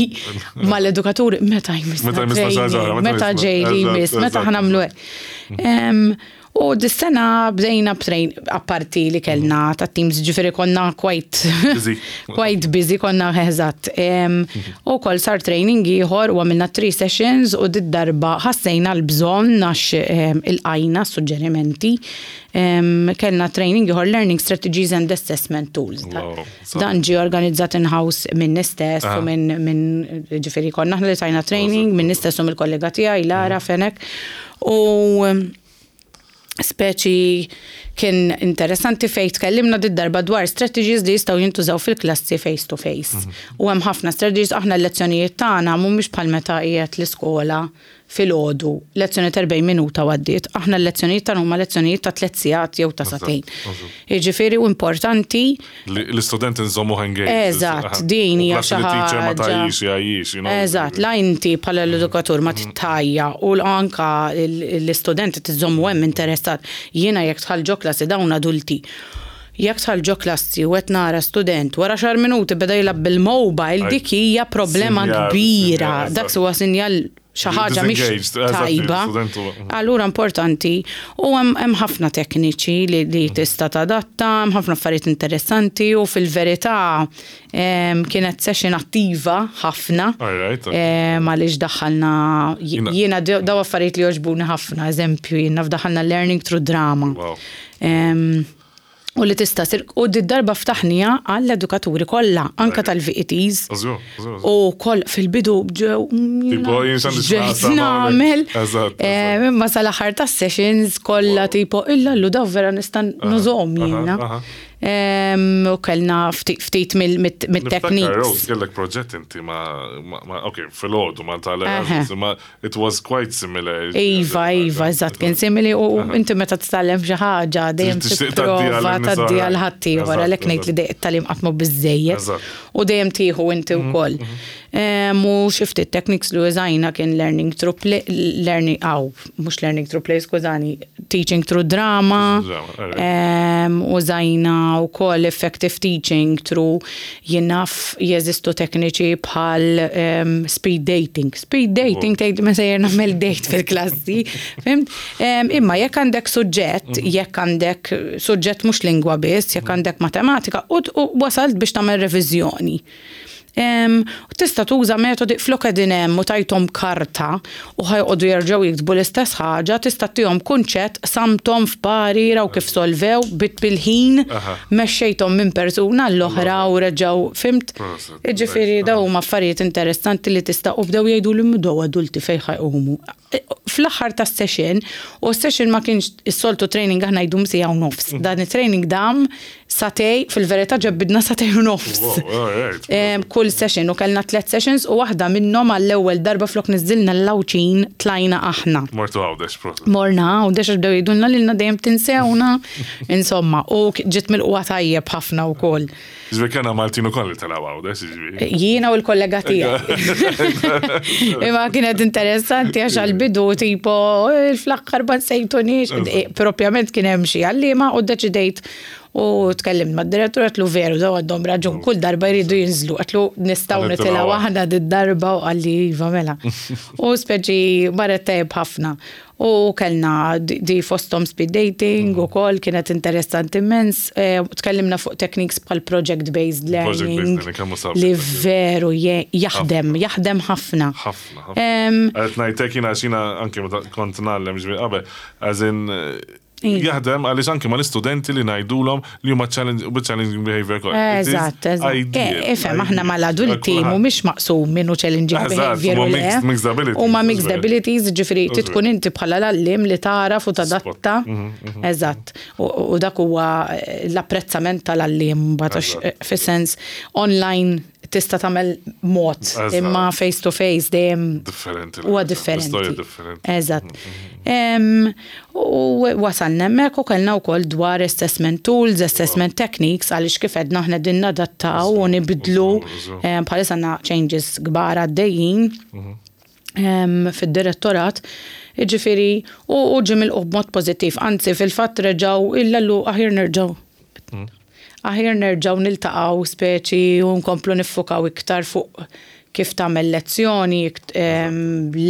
C: mal-edukaturi, meta jmissna
B: Meta jmissna xi ħaġa oħra,
C: training,
B: meta
C: meta
B: jmissna-
C: ġej li
B: eżatt,
C: jmiss, meta
B: eżatt.
C: ħa nagħmlu hekk. U dis-sena bdejna b'train apparti li kellna ta' teams ġifieri konna quite
B: Busy.
C: quite busy konna eżatt. U kol sar training ieħor u għamilna three sessions u did-darba ħassejna l-bżonn għax ilqajna suġġerimenti. Kellna training ieħor Learning Strategies and Assessment Tools.
B: Wow.
C: Dan ġie organizzat in-house minn stess u minn ġifieri konna aħna li tajna training minn stess u mill-kollega tiegħi Lara Fenek. U speċi kien interessanti fej tkellimna did darba dwar strategies li jistgħu jintużaw fil-klassi face to face. U hemm ħafna strategies aħna l-lezzjonijiet tagħna mhumiex bħal meta qiegħed l-iskola filgħodu, lezzjoni ta' 40 minuta għaddiet. Aħna l-lezzjonijiet tagħna huma lezzjonijiet ta' tliet sigħat jew ta' sagħtejn. Jiġifieri u importanti
B: Li L-istudent nżommu engaged.
C: Eżatt, din hija xi
B: teacher ma
C: ħaġa.
B: tajjix, jgħajjix, you know.
C: Eżatt, la inti bħala l-edukatur ma tittajja u anka l-istudenti tiżommu hemm interessat. Jiena jekk dħalt ġo klassi dawn adulti. Jekk dħalt ġo klassi u qed nara student wara għaxar minuti beda jilgħab bil-mobile,
B: Aj,
C: dik hija problema
B: sinjal,
C: kbira.
B: sinjal,
C: Dak
B: eżatt.
C: huwa sinjal xi ħaġa mhix
B: Disengaged, eżatt,
C: tajba.
B: l-istudent huwa-
C: Allura importanti u hemm ħafna tekniċi li tista' tadatta, hemm ħafna affarijiet interessanti u fil-verità kienet session attiva ħafna.
B: All right, okay.
C: Għaliex daħħalna
B: Jiena-
C: jiena daw affarijiet li jogħġbuni ħafna, eżempju, jiena fdaħħalna learning through drama.
B: Wow.
C: U li tista' sir u did-darba ftaħnija għall-edukaturi kollha, anka tal-VETs.
B: Żgur, żgur, żgur.
C: U koll fil-bidu ġew
B: Tipo, jien x'għandi
C: ġejt
B: x'naqsam
C: nagħmel.
B: hawnhekk. Eżatt,
C: Imma sal-aħħar tas-sessions kollha tipo illa llu daw vera nista' nużhom
B: aha,
C: jiena.
B: aha.
C: U kellna ftit
B: Niftakar,
C: mit-techniques.
B: Rose, kellek proġett inti ma, ok, fil-ħodu ma tal-Erasmus, ma it was quite similar.
C: Iva, iva, eżatt, kien simili u inti meta titgħallem xi ħaġa dejjem
B: Tixtieq tgħaddiha
C: tipprova
B: lin-nies
C: tgħaddiha
B: oħrajn.
C: għal ħaddieħor
B: Eżatt,
C: għalhekk ngħid li
B: eżatt.
C: dejjem it-tagħlim qatt mhu biżejjed
B: Eżatt.
C: u dejjem tieħu inti wkoll. U xi ftit techniques li użajna kien learning through play, learning, aw, mhux learning through play, skużani, teaching through drama.
B: Drama, alright.
C: Użajna wkoll effective teaching through jien naf jeżistu tekniċi bħal speed dating. Speed dating tgħid ma sejjer nagħmel date fil-klassi, fhimt? Imma jekk għandek suġġett, jekk għandek suġġett mhux lingwa biss, jekk għandek matematika, u wasalt biex tagħmel reviżjoni. U tista' tuża metodi flok qegħdin hemm u tajthom karta u ħa joqogħdu jerġgħu jiktbu l-istess ħaġa, tista' tihom kunċett, samtom f'pari, raw kif solvew, bit bil-ħin, mexxejthom minn persuna l-oħra u reġgħu, fhimt?
B: Proset.
C: Jiġifieri daw huma affarijiet interessanti li tista' u bdew jgħidu li daw adulti fejn ħa jqumu. Fl-aħħar tas-session, u s-session ma kienx is-soltu training aħna jdum siegħa u nofs. Dan it-training dam sagħtejn, fil-verità ġebbidna sagħtejn u nofs.
B: Wow, all right.
C: Kull session u kellna tliet sessions u waħda minnhom għall-ewwel darba flok niżilna l-Għawdxin tlajna aħna.
B: Mortu Għawdex, proset.
C: Morna Għawdex għax bdew jgħidulna lilna dejjem tinsewna. Insomma, u ġiet milqugħa tajjeb ħafna wkoll.
B: Ġifieri kellna Maltin ukoll li telgħu Għawdex, ġifieri.
C: Jiena u l-kollega tiegħi. Imma kienet interessanti għax għal-bidu tipo fl-aħħar ma nsejtunix. Propjament kien hemm xi għalliema u ddeċidejt u tkellimt mad-direttur għedtlu veru daw għandhom raġun kull darba jridu jinżlu għedtlu nistgħu
B: Għal
C: nitilgħu
B: nitilgħu
C: aħna did-darba u qalli iva mela. U speċi marret tajjeb ħafna. U kellna di fosthom speed dating u kol kienet interessanti immens. Tkellimna fuq techniques bħal project-based
B: Project-based
C: learning
B: learning, kemm hu sabiħ
C: li
B: dak.
C: veru jaħdem, jaħdem ħafna.
B: Ħafna, ħafna. Qed ngħidlek jiena għax jiena anke meta kont ngħallem ġifieri qabel, as in Jaħdem għaliex anke mal-istudenti li ngħidulhom li huma challenging behavior kollha.
C: Eżatt, eżatt. Ifhem aħna mal-adulti mhumiex maqsum minnu challenging behavior.
B: Huma mixed abilities.
C: Huma mixed abilities, ġifieri tkun inti bħala l-għalliem li tagħraf u tadatta. Eżatt. U dak huwa l-apprezzament tal-għalliem mbagħad fis-sens online tista' tagħmel mod imma face to face dejjem
B: differenti.
C: Huwa differenti. Eżatt. U wasalna hemmhekk u kellna wkoll dwar assessment tools, assessment techniques għaliex kif għedna aħna din nadattaw u nibdlu bħalissa għandna changes kbar għaddejjin fid-direttorat. Jiġifieri u ġie milqugħ b'mod pożittiv, anzi fil-fatt reġgħu illallu aħjar nerġgħu. Aħjar nerġgħu niltaqgħu speċi u nkomplu niffukaw iktar fuq kif tagħmel lezzjoni,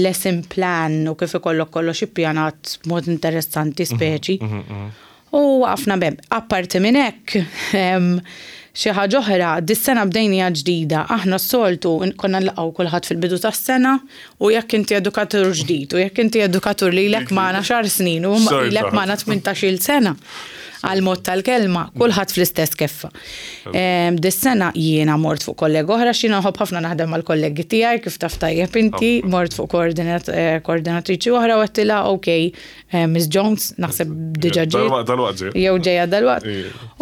C: lesson plan u kif ikollok kollox ippjanat b'mod interessanti speċi. U waqafna b'hemm. Apparti minn hekk, xi ħaġa oħra, dis-sena bdejniha ġdida. Aħna s-soltu konna nlaqgħu kulħadd fil-bidu tas-sena u jekk inti edukatur ġdid u jekk inti edukatur li ilek magħna xar snin u ilek magħna 18-il sena għal mod tal-kelma, kulħadd fl-istess keffa. Dis-sena jiena mort fuq kollega oħra, x'jiena nħobb ħafna naħdem mal-kollegi tiegħi kif taf tajjeb inti, mort fuq koordinatriċi oħra u għedtilha ok, Miss Jones, naħseb diġà ġiet. Jew ġejja dalwaqt.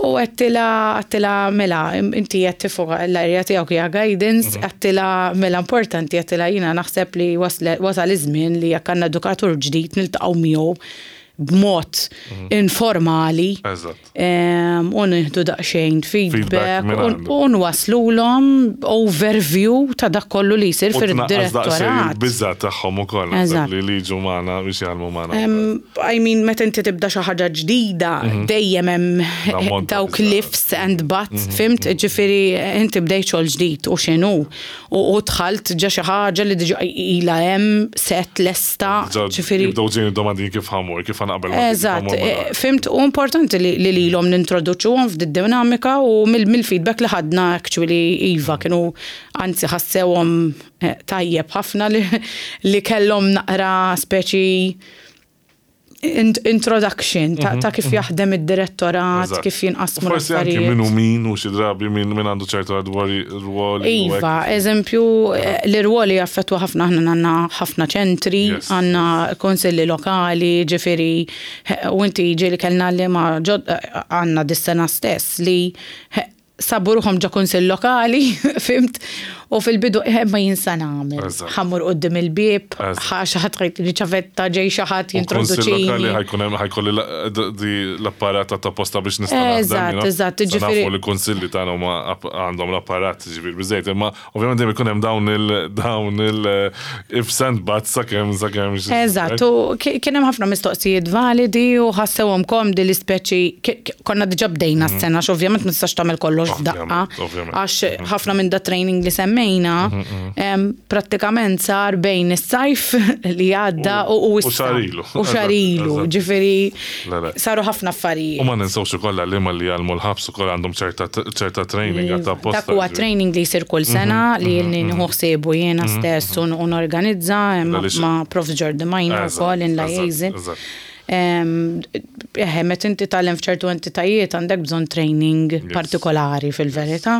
C: U għedtilha għedtilha mela inti qed tifoka l-area tiegħek hija guidance, għedtilha mela importanti għedtilha jiena naħseb li wasal iż-żmien li jekk għandna edukatur ġdid niltaqgħu miegħu b'mod informali u nieħdu daqsxejn feedback u nwaslulhom overview ta' dak kollu li jsir fid-direttorat.
B: Biża' tagħhom ukoll li jiġu magħna biex jgħallmu magħna.
C: I mean, meta inti tibda xi ħaġa ġdida, dejjem hemm dawk l-ifs and buts, fhimt? Ġifieri inti bdejt xogħol ġdid u x'inhu. U dħalt ġa xi ħaġa li diġà ilha hemm set lesta.
B: Ġifieri. Jibdew ġejjin id-domandi kif ħamur, kif ħanaqbel.
C: Eżatt, fimt, u importanti li lilhom nintroduċuhom f'did dinamika u mill-feedback li ħadna actually iva kienu anzi ħassewhom tajjeb ħafna li kellhom naqra speċi introduction ta' kif jaħdem id-direttorat, kif jinqasmu
B: Forsi anki
C: l-affarijiet.
B: min hu min u xi drabi min min għandu ċertu rwoli. u hekk.
C: Iva, eżempju, l-irwoli jaffettwa ħafna aħna għandna ħafna ċentri, għandna konsilli lokali, ġifieri, u inti ġieli kellna li ma ġod għandna dis-sena stess li sabu ruħhom ġo kunsill lokali, fimt? U fil-bidu, eh, ma jinsa nagħmel. Ħammur quddiem il-bieb, xi ħadd ħajtini ċavetta, ġej xi ħadd
B: jintroduċini. Kunsill lokali ħajkun hemm ħajkolli l-apparat ta' posta biex nista'
C: Eżatt, eżatt,
B: ġifieri. Nafu li kunsilli tagħna huma għandhom l-apparat ġifieri biżejjed, imma Ovvjament dejjem ikun hemm dawn il dawn il ifs and buts sakemm sakemm.
C: Eżatt, u kien hemm ħafna mistoqsijiet validi u ħassewhom komdi li speċi konna diġà bdejna mhm. s-sena, ovvjament ma tistax tagħmel kollox f'daqqa. Għax mhm. ħafna minn da training li semmejna mhm, prattikament sar bejn is-sajf li għadda u
B: issa. U xarilu.
C: U xarilu, ġifieri Saru ħafna affarijiet.
B: U ma ninsewx ukoll għalliema li jgħallmu l-ħabs ukoll għandhom ċerta training għad apposta.
C: Dak huwa training li jsir kull sena li ilni nieħu ħsiebu jiena stess u norganizza ma' Prof. Jordi Majna wkoll in liaison. Eħe, meta inti tgħallem f'ċertu entitajiet għandek bżonn training partikolari fil-verità.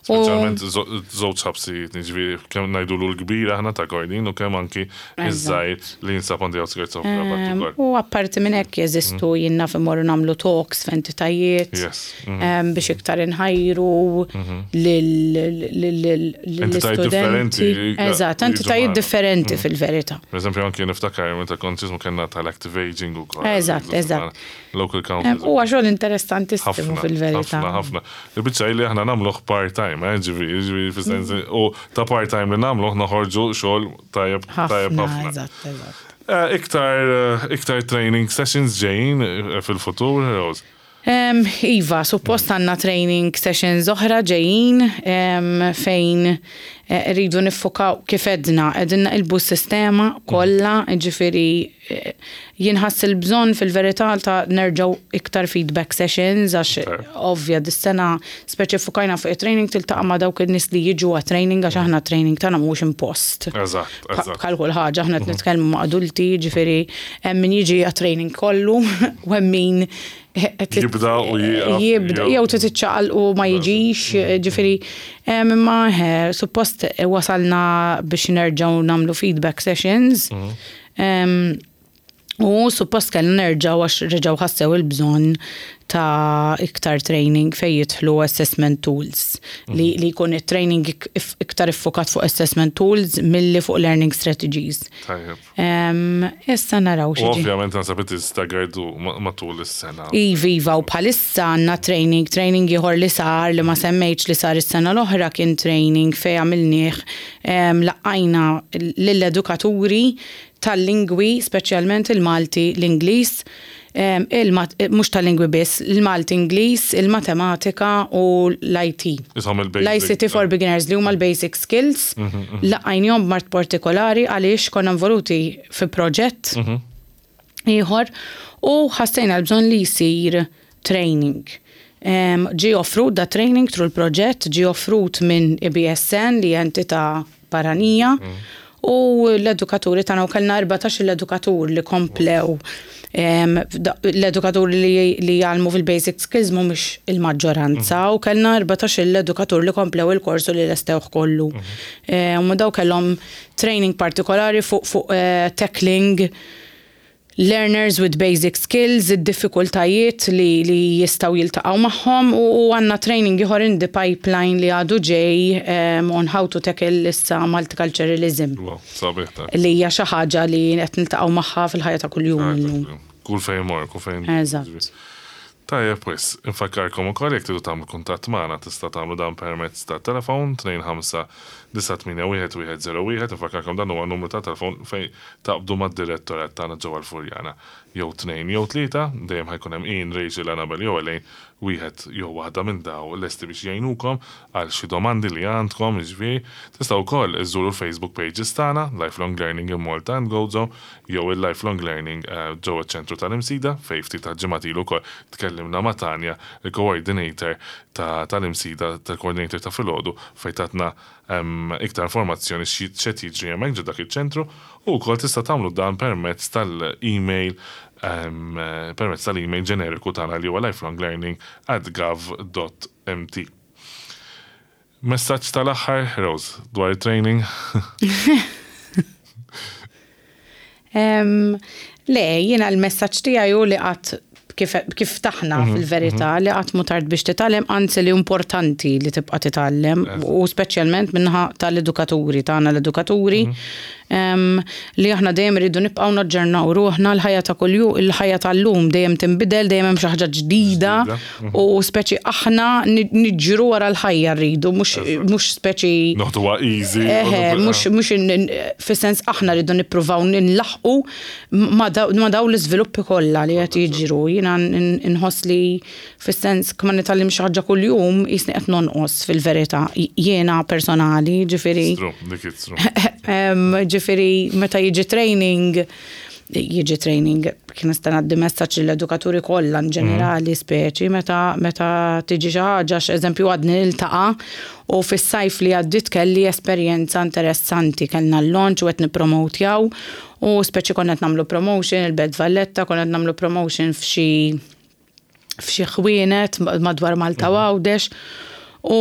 B: Speċjalment żewġ ħabsijiet, jiġifieri kemm ngħidulu l-kbir aħna ta' Kordin u kemm anki iż-żgħir li jinsab on the outskirts of Rabat
C: ukoll. U apparti minn hekk jeżistu jien naf immorru nagħmlu talks f'entitajiet biex iktar inħajru lill-istudenti. Eżatt, entitajiet differenti fil-verità.
B: Per eżempju anki niftakar meta kont x'ismu kellna tal-active aging ukoll.
C: Eżatt, eżatt.
B: Local councils.
C: Huwa xogħol interessantissimu fil-verità.
B: Ħafna, ħafna. Il-biċċa hi li aħna nagħmluh part-time, eh, ġifieri, ġifieri fis-sens u ta' part-time li nagħmluh noħorġu xogħol tajjeb tajjeb ħafna.
C: Eżatt, eżatt.
B: Eh, iktar, eh, iktar training sessions ġejjin eh, fil-futur, Rose?
C: Iva, suppost għandna training sessions oħra ġejjin fejn rridu niffukaw kif għedna, qegħdin naqilbu s-sistema kollha, jiġifieri jinħass il-bżonn fil-verità ta' nerġgħu iktar feedback sessions għax ovvja dis-sena speċi ffukajna fuq it-training tiltaqa' ma' dawk in-nies li jiġu għat-training għax aħna t-training tagħna mhuwiex impost.
B: Eżatt, eżatt.
C: Bħal kull ħaġa aħna qed nitkellmu ma' adulti, jiġifieri hemm min jiġi għat-training kollu u hemm min
B: Jibda u jieqaf.
C: Jibda, jew titċaqal u ma jiġix, ġifieri, imma suppost wasalna biex nerġgħu nagħmlu feedback sessions. Mhm. U suppost kellna nerġgħu għax reġgħu ħassew il-bżonn ta' iktar training fejn jidħlu assessment tools. Li, mhm. li jkun it-training iktar iffokat fuq assessment tools milli fuq learning strategies.
B: Tajjeb.
C: Issa naraw
B: xi. Ovvjament naħseb it staggered matul is-sena.
C: Iva, iva, u bħalissa għandna training, training ieħor li sar li ma semmejtx li sar is-sena l-oħra kien training fejn għamilnieh laqqajna lill-edukaturi tal-lingwi, speċjalment il-Malti, l-Ingliż, mhux tal-lingwi biss, il-Malti Ingliż, il-Matematika u l-IT. L-ICT for Beginners li huma l-basic skills, mhm, mhm. laqajnihom b'mart partikolari għaliex konna involuti fi proġett mhm. ieħor u ħassejna l-bżonn li jsir training. Ġie offrut da training through l-proġett, ġie offrut minn IBSN li entità barranija u l-edukaturi tagħna u kellna 14 l-edukatur li komplew l-edukaturi li jgħallmu fil-basic skills mhumiex il-maġġoranza mhm. u kellna 14 l-edukatur li komplew il-kors u li lestewh kollu. Mhm. U daw kellhom training partikolari fuq fuq eh, tackling learners with basic skills, id-diffikultajiet li, li jistgħu jiltaqgħu magħhom u, u għandna training ieħor in the pipeline li għadu ġej um, on how to tackle issa multiculturalism.
B: Wow, sabiħ ta'
C: Li hija xi ħaġa li qed niltaqgħu magħha fil-ħajja ta' kuljum illum.
B: Kull fejn mor, kull fejn.
C: Eżatt.
B: Tajjeb wis, infakkarkom ukoll jekk tridu tagħmlu kuntatt magħna tista' tagħmlu dan permezz ta' telefon 25 981 101, infakkarkom dan huwa numru ta' telefon fejn taqbdu mad-direttorat tagħna ġewwa l-Furjana. Jew tnejn jew tlieta, dejjem ħa jkun hemm Ian, Rachel, Annabel jew Elaine, wieħed jew waħda minn daw lesti biex jgħinukom għal xi domandi li għandkom, jiġifieri. Tistgħu wkoll iżżuru l-Facebook pages tagħna, Lifelong Learning in Malta and Gozo, jew il-Lifelong Learning ġewwa ċ-Ċentru tal-Imsida, fejn ftit tal-ġimgħat ilu wkoll tkellimna ma' Tania, il-coordinator tal-Imsida, tal-coordinator ta' filgħodu, fejn tatna iktar informazzjoni x'qed jiġri hemmhekk ġo dak iċ-ċentru u wkoll tista' tagħmlu dan permezz tal-email permezz tal-email ġeneriku tagħna li huwa lifelonglearning at gov dot mt. Messaġġ tal-aħħar, Rose, dwar it-training?
C: Le, jiena l-messaġġ tiegħi hu li qatt kif, kif taħna mhm, fil-verità mhm. li qatt mhu tard biex titgħallem, anzi li importanti li tibqa' titgħallem u speċjalment minnaħa tal-edukaturi tagħna l-edukaturi mhm. Li aħna dejjem irridu nibqgħu naġġornaw ruħna l-ħajja ta' kuljum, il-ħajja tal-lum dejjem tinbidel, dejjem hemm xi ħaġa ġdida u speċi aħna niġru wara l-ħajja rridu, mhux speċi.
B: Noħduha easy.
C: Mhux mhux fis-sens aħna rridu nippruvaw nlaħħqu ma' dawn l-iżviluppi kollha li qed jiġru. Jiena nħoss li Fis-sens, ma nitgħallimx xi ħaġa kuljum, qisni qed nonqos fil-verità. Jiena personali, ġifieri.
B: Dik it's true.
C: Ġifieri, meta jiġi training, jiġi training, kien nista' ngħaddi messaġġ lill-edukaturi kollha in ġenerali speċi, meta meta tiġi xi ħaġa, eżempju għadni niltaqa' u fis-sajf li għaddiet kelli esperjenza interessanti, kellna l-launch u qed nippromotjaw u speċi konna qed nagħmlu promotion il-Belt Valletta, konna qed nagħmlu promotion f'xi f'xi ħwienet madwar Malta u mhm. Għawdex u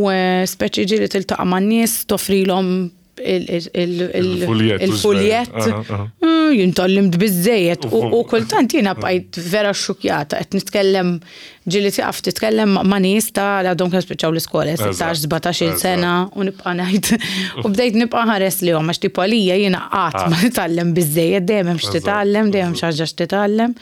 C: eh, speċi ġieli tiltaqa' man-nies toffrilhom il-fuljett. Mm, jintallimt biżejjed u kultant jiena bqajt vera xukjata qed nitkellem ġieli tiqaf titkellem ma' nies ta' li għadhom kemm spiċċaw l-iskola 16-17 sena u nibqa' ngħid u bdejt nibqa' ħares li għax tipo għalija jiena qatt ma nitgħallem biżejjed dejjem hemm x'titgħallem dejjem xi ħaġa x'titgħallem.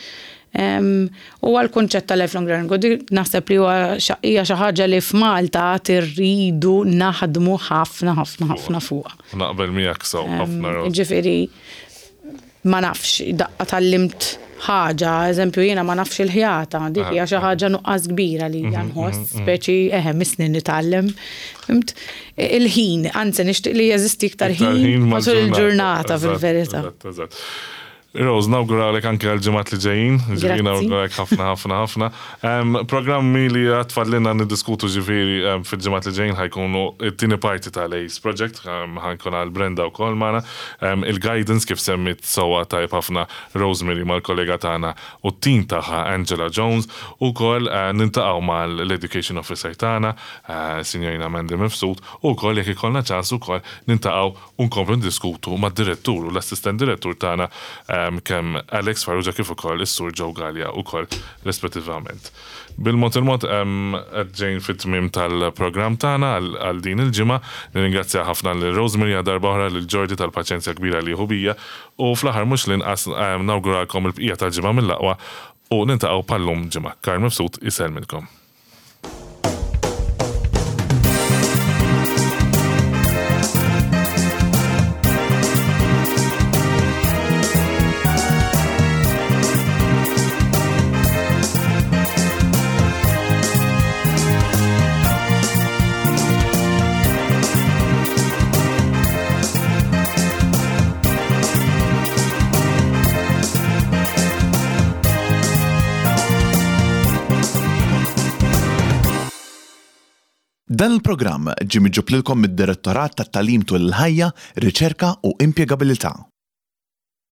C: Huwa l-kunċett ta' lifelong learning u dik naħseb li huwa hija xi ħaġa li f'Malta għad irridu naħdmu ħafna ħafna ħafna fuqha.
B: Naqbel miegħek sew ħafna.
C: Ġifieri ma nafx, daqqa tgħallimt. ħaġa, eżempju jiena ma nafx il-ħjata, dik hija xi ħaġa nuqqas kbira li hija nħoss, speċi eħe misni nitgħallem. Fhimt? Il-ħin, anzi nixtieq li jeżisti iktar ħin matul il-ġurnata fil-verità.
B: Eżatt, eżatt. Rose, nawguralek anke għal-ġimgħat li ġejjin, ġifieri nawguralek ħafna ħafna ħafna. Programmi li għad fadlilna niddiskutu ġifieri fil-ġimgħat li ġejjin ħa jkunu t-tieni parti tal-ACE Project, ħa jkun għal Brenda wkoll magħna, il-guidance kif semmiet sewwa tajjeb ħafna Rosemary mal-kollega tagħna u t-tim tagħha Angela Jones u wkoll niltaqgħu mal-Education Officer tagħna, Sinjorina Mandy Mifsud, u wkoll jekk ikollna ċans ukoll niltaqgħu u nkomplu niddiskutu mad-Direttur u l-Assistent Direttur tagħna kemm Alex Farrugia kif ukoll is-Sur Joe Galea wkoll rispettivament. Bil-mod il-mod qed ġejn fit-tmiem tal-programm tagħna għal din il-ġimgħa. Nirringrazzja ħafna lil Rosemary għal darba oħra, lil Jordi tal-paċenzja kbira li jieħu bija u fl-aħħar mhux l-inqas nawguralkom il-bqija tal-ġimgħa mill-aqwa u niltaqgħu bħal-lum ġimgħa. Karl Mifsud isellmilkom.
A: Dan il-programm ġie miġjub lilkom mid-Direttorat tat-Tagħlim Tul il-Ħajja, Riċerka u Impjegabilità.